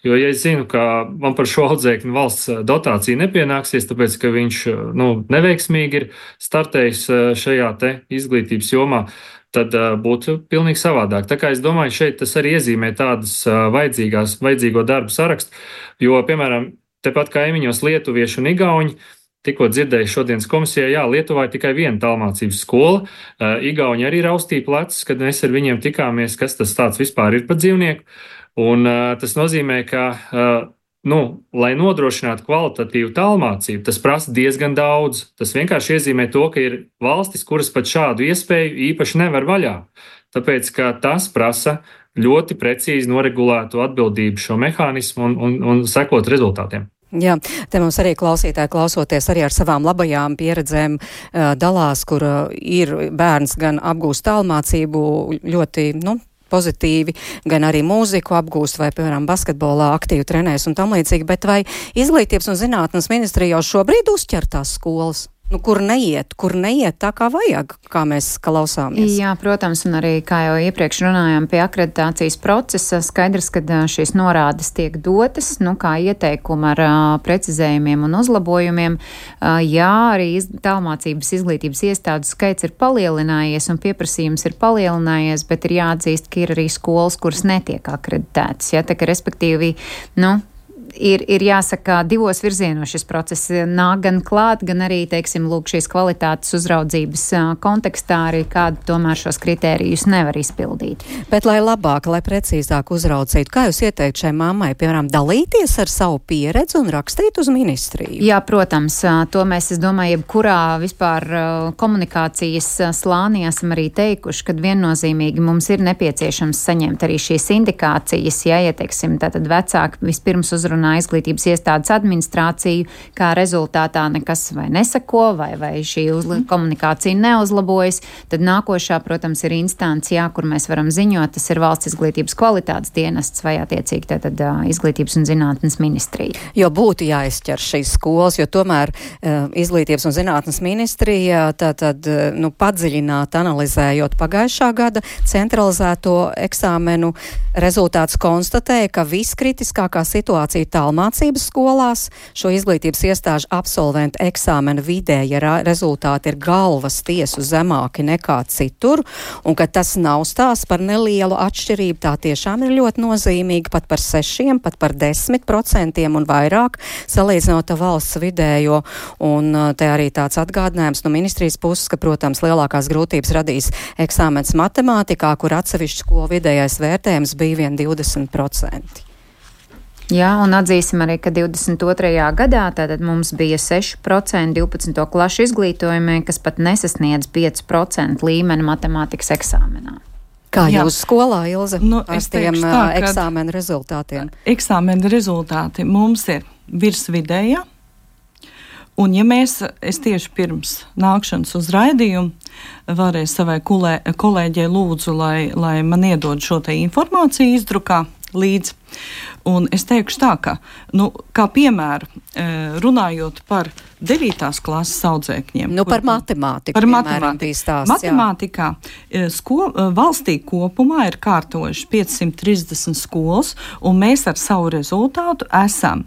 Jo, ja es zinu, ka man par šo audzēkņu valsts dotācija nepienāksies, tāpēc, ka viņš nu, neveiksmīgi ir startējis šajā te izglītības jomā, tad uh, būtu pilnīgi savādāk. Tā kā es domāju, šeit tas arī iezīmē tādas uh, vajadzīgās, vajadzīgo darbu sarakstu, jo, piemēram, tepat kaimiņos lietuvieši un igauņi, tikko dzirdēju šodienas komisijā, jā, Lietuvā ir tikai viena tālmācības skola, uh, igauņi arī raustīja plecus, kad mēs ar viņiem tikāmies, kas tas tāds vispār ir par dzīvnieku, un uh, tas nozīmē, ka uh, Nu, lai nodrošinātu kvalitatīvu tālmācību, tas prasa diezgan daudz. Tas vienkārši iezīmē to, ka ir valstis, kuras pat šādu iespēju īpaši nevar vaļā. Tāpēc, ka tas prasa ļoti precīzi noregulētu atbildību šo mehānismu un, un, un sekot rezultātiem. Jā, te mums arī klausītāji klausoties arī ar savām labajām pieredzēm uh, dalās, kur uh, ir bērns gan apgūst tālmācību ļoti, nu, pozitīvi, gan arī mūziku apgūst vai, piemēram, basketbolā aktīvi trenēs un tam līdzīgi, bet vai Izglītības un zinātnes ministrija jau šobrīd uzķer tās skolas? Nu, kur neiet, kur neiet tā kā vajag, kā mēs klausāmies. Jā, protams, un arī, kā jau iepriekš runājām pie akreditācijas procesa, skaidrs, ka šīs norādes tiek dotas, nu, kā ieteikumi ar uh, precizējumiem un uzlabojumiem. Uh, jā, arī iz, tālmācības izglītības iestādes skaits ir palielinājies un pieprasījums ir palielinājies, bet ir jāatzīst, ka ir arī skolas, kuras netiek akreditētas. Ja, tā, ka, respektīvi, nu, Ir, ir jāsaka, divos virzienos šis process nāk gan klāt, gan arī, teiksim, lūk, šīs kvalitātes uzraudzības kontekstā arī kādu tomēr šos kritērijus nevar izpildīt. Bet, lai labāk, lai precīzāk uzraudzītu, kā jūs ieteikt šai mammai, piemēram, dalīties ar savu pieredzi un rakstīt uz ministriju? Jā, protams, to mēs, es domāju, jebkurā vispār komunikācijas slānī esam arī teikuši, kad viennozīmīgi mums ir nepieciešams saņemt arī šīs indikācijas, ja, ja teiksim, tātad vecāki vispirms uzrunā izglītības iestādes administrāciju, kā rezultātā nekas vai nesako, vai, vai šī uzla, komunikācija neuzlabojas, tad nākošā, protams, ir instancija, kur mēs varam ziņot, tas ir Valsts izglītības kvalitātes dienests vai attiecīgi tātad Izglītības un zinātnes ministrija. Jo būtu jāizķer šīs skolas, jo tomēr uh, Izglītības un zinātnes ministrija tātad, nu, padziļināt, analizējot pagājušā gada centralizēto eksāmenu rezultātus konstatēja, ka viskritiskākā situācija tālmācības skolās, šo izglītības iestāžu absolventu eksāmena vidēja rezultāti ir galvas tiesu zemāki nekā citur, un ka tas nav stāsts par nelielu atšķirību, tā tiešām ir ļoti nozīmīgi, pat par sešiem, pat par desmit procentiem un vairāk, salīdzinot valsts vidējo, un te arī tāds atgādinājums no ministrijas puses, ka, protams, lielākās grūtības radīs eksāmens matemātikā, kur atsevišķu skolu vidējais vērtējums bija vien divdesmit procenti. Jā, un atzīsim arī, ka divdesmit otrajā gadā tātad mums bija seši procenti divpadsmito klašu izglītojumie, kas pat nesasniedz pieci procenti līmeni matemātikas eksāmenā. Kā Jā. Jūs skolā, Ilze, nu, ar tiem tā, eksāmenu rezultātiem? Eksāmenu rezultāti mums ir virs vidējā. Un ja mēs, es tieši pirms nākšanas uz raidījumu varēju savai kulē, kolēģei lūdzu, lai, lai man iedod šo te informāciju izdrukā līdz. Un es teikšu tā, ka, nu, kā piemēru, runājot par devītās klases audzēkņiem. Nu, par matemātiku, par piemēram, matemātiku. bija stāsts. Matemātikā sko, valstī kopumā ir kārtojuši piecsimt trīsdesmit skolas, un mēs ar savu rezultātu esam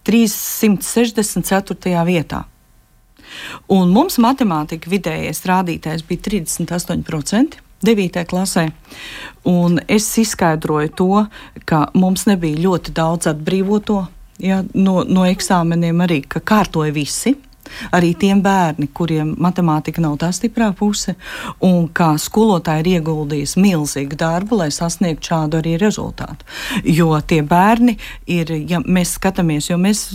trīssimt sešdesmit ceturtajā vietā. Un mums matemātika vidējais rādītājs bija trīsdesmit astoņi procenti. devītajā klasē, un es izskaidroju to, ka mums nebija ļoti daudz atbrīvoto, ja, no, no eksāmeniem arī, ka kārtoja visi, arī tiem bērni, kuriem matemātika nav tā stiprā puse, un kā skolotāji ir ieguldījis milzīgu darbu, lai sasniegtu šādu arī rezultātu. Jo tie bērni ir, ja mēs skatāmies, jo mēs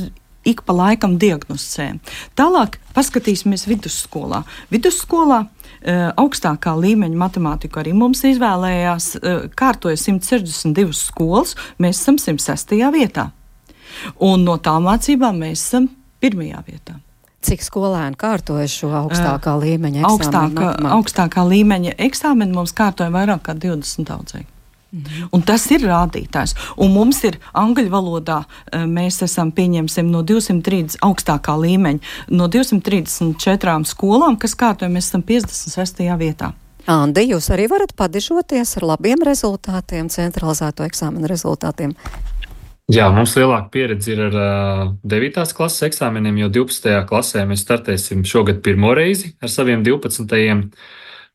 ik pa laikam diagnosticējam. Tālāk paskatīsimies vidusskolā. Vidusskolā augstākā līmeņa matemātiku arī mums izvēlējās, kārtoja simt sešdesmit divas skolas, mēs esam simt sestajā vietā. Un no tālmācībām mēs esam pirmajā vietā. Cik skolēni kārtoja šo augstākā uh, līmeņa eksāmenu? Augstākā, augstākā līmeņa eksāmenu mums kārtoja vairāk kā divdesmit audzēkņi. Mm-hmm. Un tas ir rādītājs. Un mums ir angļu valodā, mēs esam pieņemsim no divsimt trīsdesmit augstākā līmeņa, no divsimt trīsdesmit četrām skolām, kas kārtoja, mēs esam piecdesmit sestajā vietā. Andi, jūs arī varat padižoties ar labiem rezultātiem, centralizēto eksāmenu rezultātiem? Jā, mums lielāka pieredze ir ar uh, devītās klases eksāmeniem, jo divpadsmitajā klasē mēs startēsim šogad pirmo reizi ar saviem divpadsmitajiem.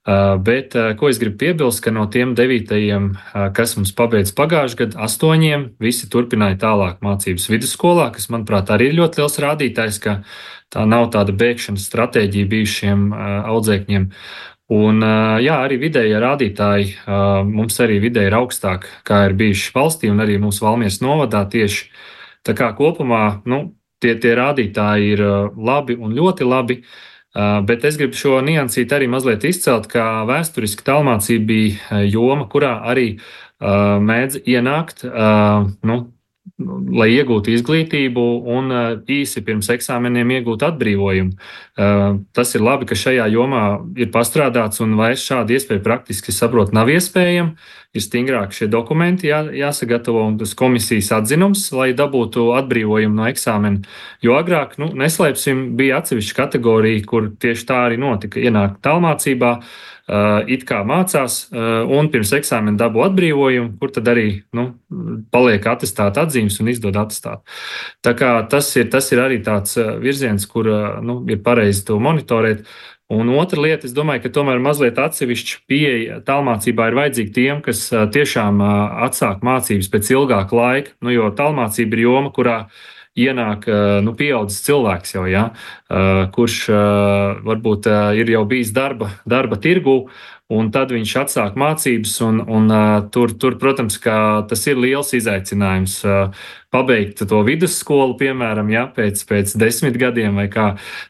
Uh, bet, uh, ko es gribu piebilst, ka no tiem devītajiem, uh, kas mums pabeidz pagājušajā gadā, astoņiem, visi turpināja tālāk mācības vidusskolā, kas, manuprāt, arī ir ļoti liels rādītājs, ka tā nav tāda bēgšanas stratēģija bijušiem uh, audzēkņiem. Un, uh, jā, arī vidējie rādītāji, uh, mums arī vidēji ir augstāk, kā ir bijuši valstī un arī mūsu Valmieras novadā tieši. Tā kā kopumā, nu, tie, tie rādītāji ir uh, labi un ļoti labi. Uh, bet es gribu šo niansīt arī mazliet izcelt, ka vēsturiski tālmācība bija joma, kurā arī uh, mēdz ienākt uh, nu, lai iegūtu izglītību un īsi pirms eksāmeniem iegūtu atbrīvojumu. Tas ir labi, ka šajā jomā ir pastrādāts un vairs šāda iespēja praktiski saprot nav iespējama. Ir stingrāk šie dokumenti jā, jāsagatavo un tas komisijas atzinums, lai dabūtu atbrīvojumu no eksāmena. Jo agrāk, nu, neslēpsim, bija atsevišķa kategorija, kur tieši tā arī notika. Ienāk tālmācībā, uh, it kā mācās uh, un pirms eksāmena dabū atbrīvojumu, kur tad arī nu, paliek atestāta atzīmes un izdod atestātu. Tā kā tas ir, tas ir arī tāds virziens, kur uh, nu, ir pareizi to monitorēt. Un otra lieta, es domāju, ka tomēr mazliet atsevišķa pieeja tālmācībā ir vajadzīga tiem, kas tiešām atsāk mācības pēc ilgāka laika, nu, jo tālmācība ir joma, kurā ienāk nu, pieaudzis cilvēks jau, ja, kurš varbūt ir jau bijis darba, darba tirgū, un tad viņš atsāk mācības, un, un tur, tur, protams, ka tas ir liels izaicinājums pabeigt to vidusskolu, piemēram, ja, pēc, pēc desmit gadiem vai kā.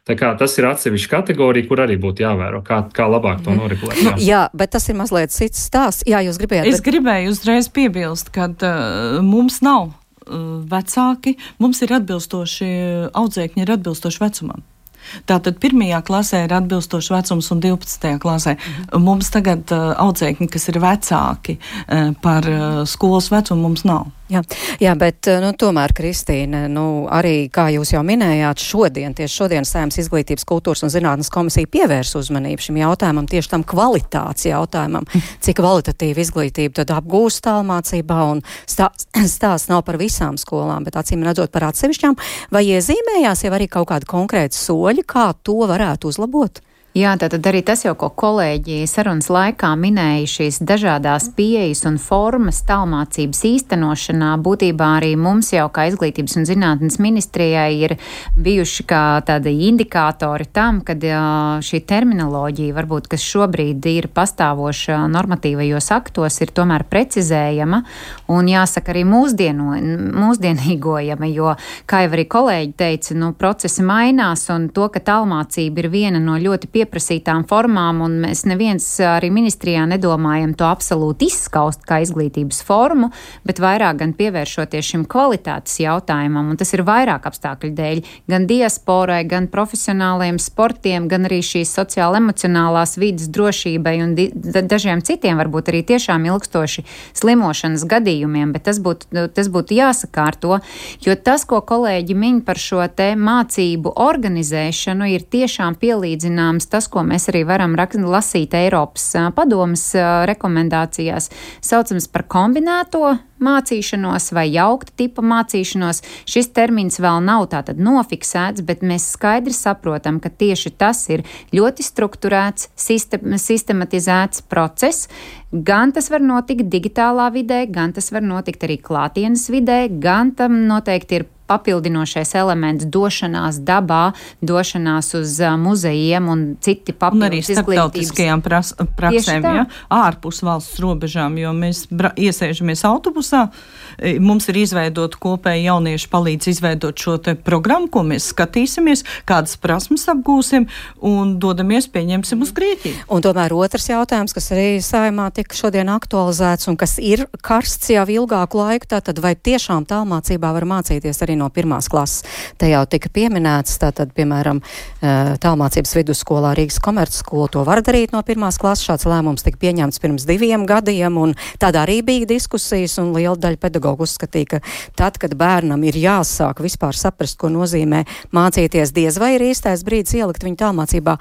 Tā kā tas ir atsevišķa kategorija, kur arī būtu jāvēro, kā, kā labāk to noregulēt. Jā. Jā, bet tas ir mazliet cits stāsts. Jā, jūs gribējāt. Es bet... gribēju uzreiz piebilst, ka uh, mums nav uh, vecāki, mums ir atbilstoši, audzēkņi ir atbilstoši vecumam. Tātad pirmajā klasē ir atbilstošs vecums un divpadsmitajā klasē. Mhm. Mums tagad uh, audzēkņi, kas ir vecāki uh, par uh, skolas vecumu, mums nav. Jā, jā, bet nu, tomēr, Kristīne, nu, arī, kā jūs jau minējāt, šodien, tieši šodien Saeimas Izglītības, kultūras un zinātnes komisija pievērs uzmanību šim jautājumam, tieši tam kvalitātes jautājumam, cik kvalitatīva izglītība tad apgūst tālmācībā, un stāsts stāsts nav par visām skolām, bet acīm redzot par atsevišķām, vai iezīmējās jau arī kaut kādi konkrēti soļi, kā to varētu uzlabot? Jā, tātad arī tas jau, ko kolēģi sarunas laikā minēja, šīs dažādās pieejas un formas tālmācības īstenošanā, būtībā arī mums jau kā Izglītības un zinātnes ministrijai ir bijuši kā tādi indikātori tam, kad šī terminoloģija, varbūt, kas šobrīd ir pastāvoša normatīvajos aktos, ir tomēr precizējama un jāsaka arī mūsdieno, mūsdienīgojama, jo, kā jau arī kolēģi teica, nu, procesi mainās un to, ka tālmācība ir viena no ļoti pie pieprasītām formām, un mēs neviens arī ministrijā nedomājam to absolūti izskaust kā izglītības formu, bet vairāk gan pievēršoties šim kvalitātes jautājumam, un tas ir vairāk apstākļu dēļ, gan diasporai, gan profesionāliem sportiem, gan arī šīs sociāli-emocionālās vidas drošībai un di- dažiem citiem, varbūt arī tiešām ilgstoši slimošanas gadījumiem, bet tas būtu, tas būtu jāsakārto, jo tas, ko kolēģi min par šo te mācību organizēšanu, ir tiešām pielīdzināms tas, ko mēs arī varam lasīt Eiropas padomes rekomendācijās, saucams par kombinēto mācīšanos vai jaukta tipa mācīšanos. Šis termins vēl nav tātad nofiksēts, bet mēs skaidri saprotam, ka tieši tas ir ļoti strukturēts, sistem, sistematizēts process. Gan tas var notikt digitālā vidē, gan tas var notikt arī klātienes vidē, gan tam noteikti ir papildinošais elements došanās dabā, došanās uz uh, muzejiem un citi papildus izglītības. Un arī starptautiskajām pras, praksēm, ja, ārpus valsts robežām, jo mēs bra, iesēžamies autobusā, mums ir izveidot kopēji jaunieši palīdz izveidot šo te programmu, ko mēs skatīsimies, kādas prasmes apgūsim un dodamies, pieņemsim uz Grieķiju. Un tomēr otrs jautājums, kas arī Saeimā tika šodien aktualizēts un kas ir karsts jau ilgāku laiku, tātad vai tiešām tālmācībā var mācīties arī no pirmās klases. Te jau tika pieminēts, tātad, piemēram, tālmācības vidusskolā Rīgas komercskola to var darīt no pirmās klases. Šāds lēmums tika pieņemts pirms diviem gadiem, un tādā arī bija diskusijas, un liela daļa pedagogu uzskatīja, ka tad, kad bērnam ir jāsāk vispār saprast, ko nozīmē mācīties, diez vai ir īstais brīdis ielikt viņu tālmācībā.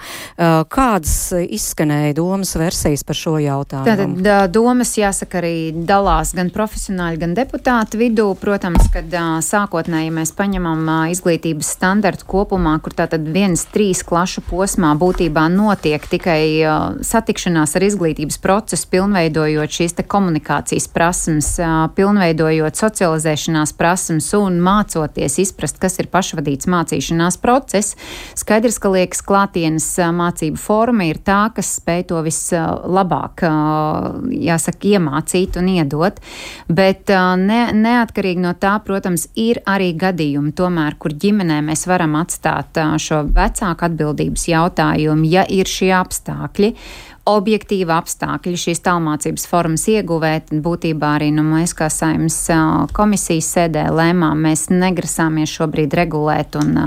Kādas izskanēja domas versijas par šo jautājumu? Tātad domas, jāsaka, arī dalās gan profesionāļi, gan deputāti vidū. Protams, kad sākotnēji ja mēs paņemam uh, izglītības standartu kopumā, kur tātad viens trīs klašu posmā būtībā notiek tikai uh, satikšanās ar izglītības procesu, pilnveidojot šīs te komunikācijas prasmes, uh, pilnveidojot socializēšanās prasmes un mācoties izprast, kas ir pašvadīts mācīšanās process. Skaidrs, ka liekas klātienes uh, mācību forma ir tā, kas spēj to vislabāk, uh, jāsaka, iemācīt un iedot, bet uh, ne, neatkarīgi no tā, protams, ir arī gadījumi, tomēr, kur ģimenē mēs varam atstāt šo vecāku atbildības jautājumu, ja ir šie apstākļi, objektīvi apstākļi šīs tālmācības formas ieguvēt. Būtībā arī nu, mēs, kā Saeimas komisijas sēdē lēmām, mēs negrasāmies šobrīd regulēt un,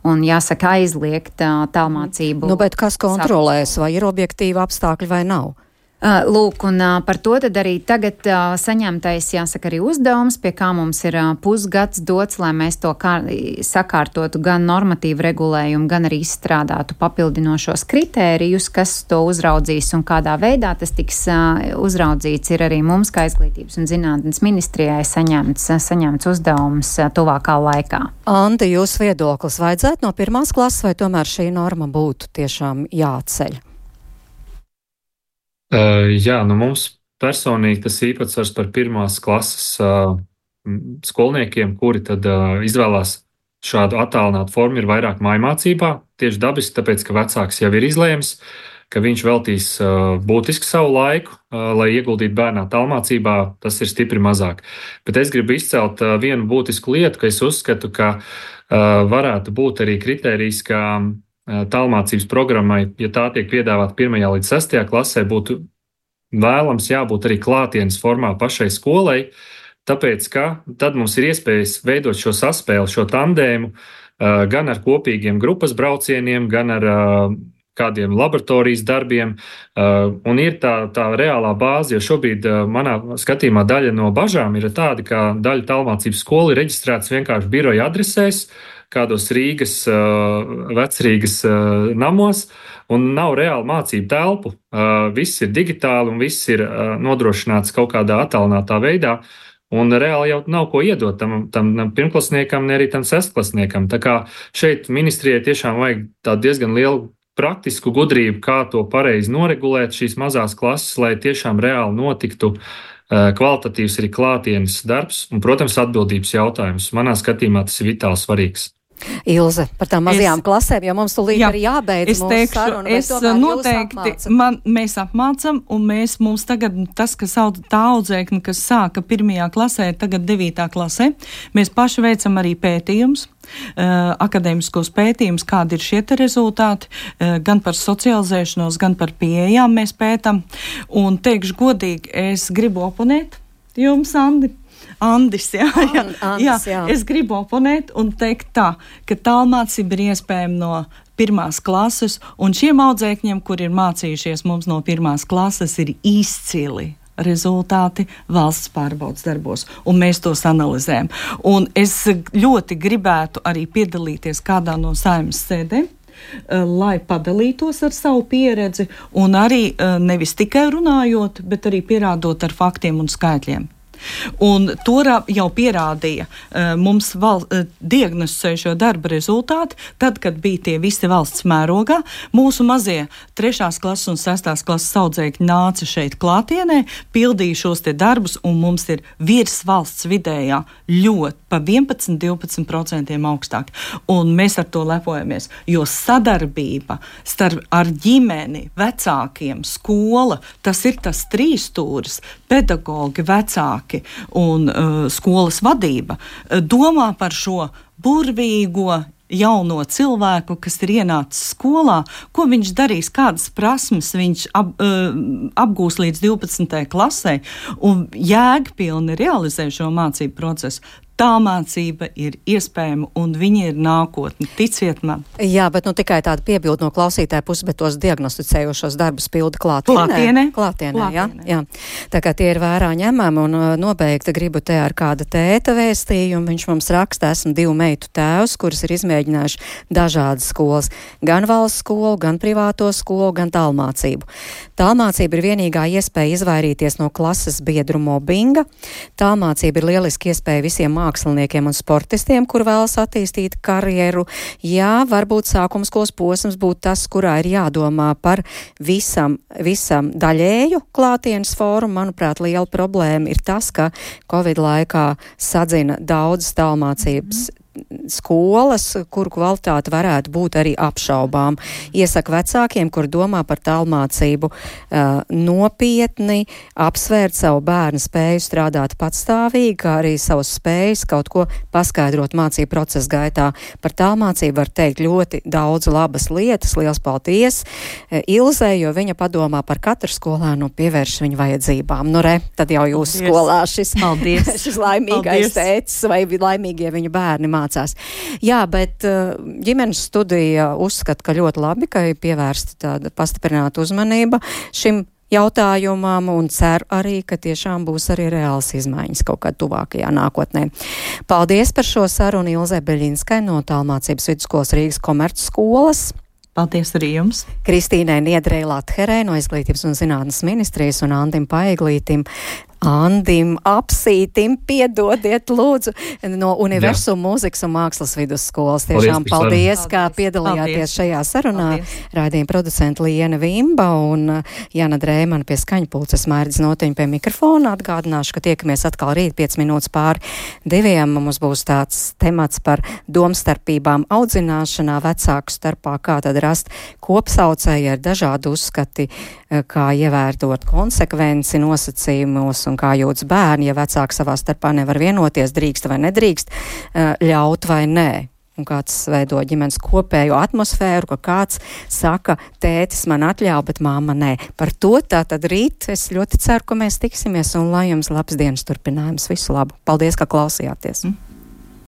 un jāsaka, aizliegt tālmācību. Nu, bet kas kontrolēs, vai ir objektīvi apstākļi vai nav? Lūk, un par to tad arī tagad saņemtais, jāsaka, arī uzdevums, pie kā mums ir pusgads dots, lai mēs to kā, sakārtotu gan normatīvu regulējumu, gan arī izstrādātu papildinošos kritērijus, kas to uzraudzīs un kādā veidā tas tiks uzraudzīts. Ir arī mums, kā Izglītības un zinātnes ministrijai, saņemts, saņemts uzdevums tuvākā laikā. Andi, jūs viedoklis vajadzētu no pirmās klases, vai tomēr šī norma būtu tiešām jāatceļ? Uh, jā, nu mums personīgi tas īpatsvars par pirmās klases uh, skolniekiem, kuri tad uh, izvēlās šādu attālinātu formu, ir vairāk mājmācībā, tieši dabiski, tāpēc, ka vecāks jau ir izlēmis, ka viņš veltīs uh, būtiski savu laiku, uh, lai ieguldītu bērnā tālmācībā, tas ir stipri mazāk. Bet es gribu izcelt uh, vienu būtisku lietu, ka es uzskatu, ka uh, varētu būt arī kritērijs, ka tālmācības programmai, ja tā tiek piedāvāta pirmajā līdz sestajā klasē, būtu vēlams jābūt arī klātienes formā pašai skolai, tāpēc, ka tad mums ir iespējas veidot šo saspēli, šo tandēmu gan ar kopīgiem grupas braucieniem, gan ar kādiem laboratorijas darbiem, un ir tā, tā reālā bāze, jo šobrīd manā skatījumā daļa no bažām ir tāda, ka daļa tālmācības skolu ir reģistrētas vienkārši biroja adresēs, kādos Rīgas, vecrīgas namos, un nav reāli mācību telpu. Viss ir digitāli un viss ir nodrošināts kaut kādā attālinātā veidā, un reāli jau nav ko iedot tam, tam pirmklasniekam, ne arī tam sestklasniekam. Tā kā šeit ministrijai tiešām vajag tādu diezgan lielu praktisku gudrību, kā to pareizi noregulēt šīs mazās klases, lai tiešām reāli notiktu kvalitatīvs arī klātienes darbs un, protams, atbildības jautājums. Manā skatījumā tas ir vitāli svarīgs. Ilze, par tām mazajām es, klasēm, jo mums tūlīt jā, arī jābeidz mūsu teikšu, saruna. Es noteikti, man, mēs apmācam, un mēs, mums tagad tas, kas sauc tā audzēkni, kas sāka pirmajā klasē, tagad devītā klasē, mēs paši veicam arī pētījums, uh, akadēmiskos pētījumus, kādi ir šie te rezultāti, uh, gan par socializēšanos, gan par pieejām mēs pētam, un teikšu godīgi, es gribu oponēt jums, Andi. Andis, jā, jā, Andis, jā. jā. Es gribu oponēt un teikt tā, ka tālmācība ir iespējama no pirmās klases, un šiem audzēkņiem, kur ir mācījušies mums no pirmās klases, ir izcili rezultāti valsts pārbaudas darbos, un mēs tos analizējam. Un es ļoti gribētu arī piedalīties kādā no Saeimas sēdēm, lai padalītos ar savu pieredzi, un arī nevis tikai runājot, bet arī pierādot ar faktiem un skaitļiem. Un to jau pierādīja uh, mums val, uh, diagnosticējušo darba rezultāti, tad, kad bija tie visi valsts mērogā. Mūsu mazie trešās klases un sestās klases audzēkņi nāca šeit klātienē, pildīja šos te darbus, un mums ir virs valsts vidējā ļoti pa vienpadsmit līdz divpadsmit procentiem augstāk. Un mēs ar to lepojamies, jo sadarbība starp ar ģimeni, vecākiem, skola, tas ir tas trīsstūris, pedagogi, vecāki un uh, skolas vadība uh, domā par šo burvīgo jauno cilvēku, kas ir ienācis skolā, ko viņš darīs, kādas prasmes viņš ap, uh, apgūs līdz divpadsmitajai klasē un jēgpilni realizē šo mācību procesu. Tā mācība ir iespējama, un viņa ir nākotne. Ticiet man. Jā, bet nu tikai tāda piebilda no klausītāja puses, bet tos diagnosticējošos darbus pilda klātienē. Klātienē. Klātienē, Klātienē. jā, jā. Tā kā tie ir vērā ņemami, un uh, nobeigti gribu te ar kāda tēta vēstījumu. Viņš mums raksta, esmu divu meitu tēvs, kuras ir izmēģinājuši dažādas skolas. Gan valsts skolu, gan privāto skolu, gan tālmācību. Tālmācība ir vienīgā iespēja izvairīties no klases biedru mobbinga. Tālmācība ir lieliski iespēja visiem māksliniekiem un sportistiem, kur vēlas attīstīt karjeru. Jā, varbūt sākumskolas posms būtu tas, kurā ir jādomā par visam, visam daļēju klātienes fórumu. Manuprāt, liela problēma ir tas, ka Covid laikā sadzina daudz tālmācības skolas, kuru kvalitāte varētu būt arī apšaubām. Iesaka vecākiem, kur domā par tālmācību, uh, nopietni apsvērt savu bērnu spēju strādāt patstāvīgi, kā arī savus spējas kaut ko paskaidrot mācību procesa gaitā. Par tālmācību var teikt ļoti daudz labas lietas. Liels paldies Ilzei, jo viņa padomā par katru skolēnu un pievērš viņu vajadzībām. Nu re, tad jau jūs paldies. Skolā šis, šis laimīgais tēcis vai laimīgie viņu bērni mācās. Jā, bet ģimenes studija uzskata, ka ļoti labi, ka ir pievērsta tāda pastiprināta uzmanība šim jautājumam un ceru arī, ka tiešām būs arī reāls izmaiņas kaut kādā tuvākajā nākotnē. Paldies par šo sarunu Ilzei Beļinskai no Tālmācības vidusskolas Rīgas komercskolas. Paldies arī jums. Kristīnai Niedrei Latherei no Izglītības un zinātnes ministrijas un Andim Paeglītim. Andim, apsītim, piedodiet, lūdzu, no Universum mūzikas un mākslas vidusskolas. Tiešām paldies, paldies kā piedalījāties paldies. Šajā sarunā. Raidījuma producenta Liena Vimba un Jana Drēmana pie skaņpulces, Mairdis Notiņa pie mikrofona. Atgādināšu, ka tiekamies atkal rīt piec minūtes pāri diviem. Mums būs tāds temats par domstarpībām audzināšanā vecāku starpā, kā tad rast kopsaucēji ar dažādu uzskati, kā ievērtot konsekvenci nosacījumos un kā jūtas bērni, ja vecāki savā starpā nevar vienoties, drīkst vai nedrīkst, ļaut vai nē. Un kāds veido ģimenes kopējo atmosfēru, ka kāds saka, tētis man atļauj, bet māma nē. Par to tātad rīt es ļoti ceru, ka mēs tiksimies un lai jums labs dienas turpinājums. Visu labu. Paldies, ka klausījāties. Mm.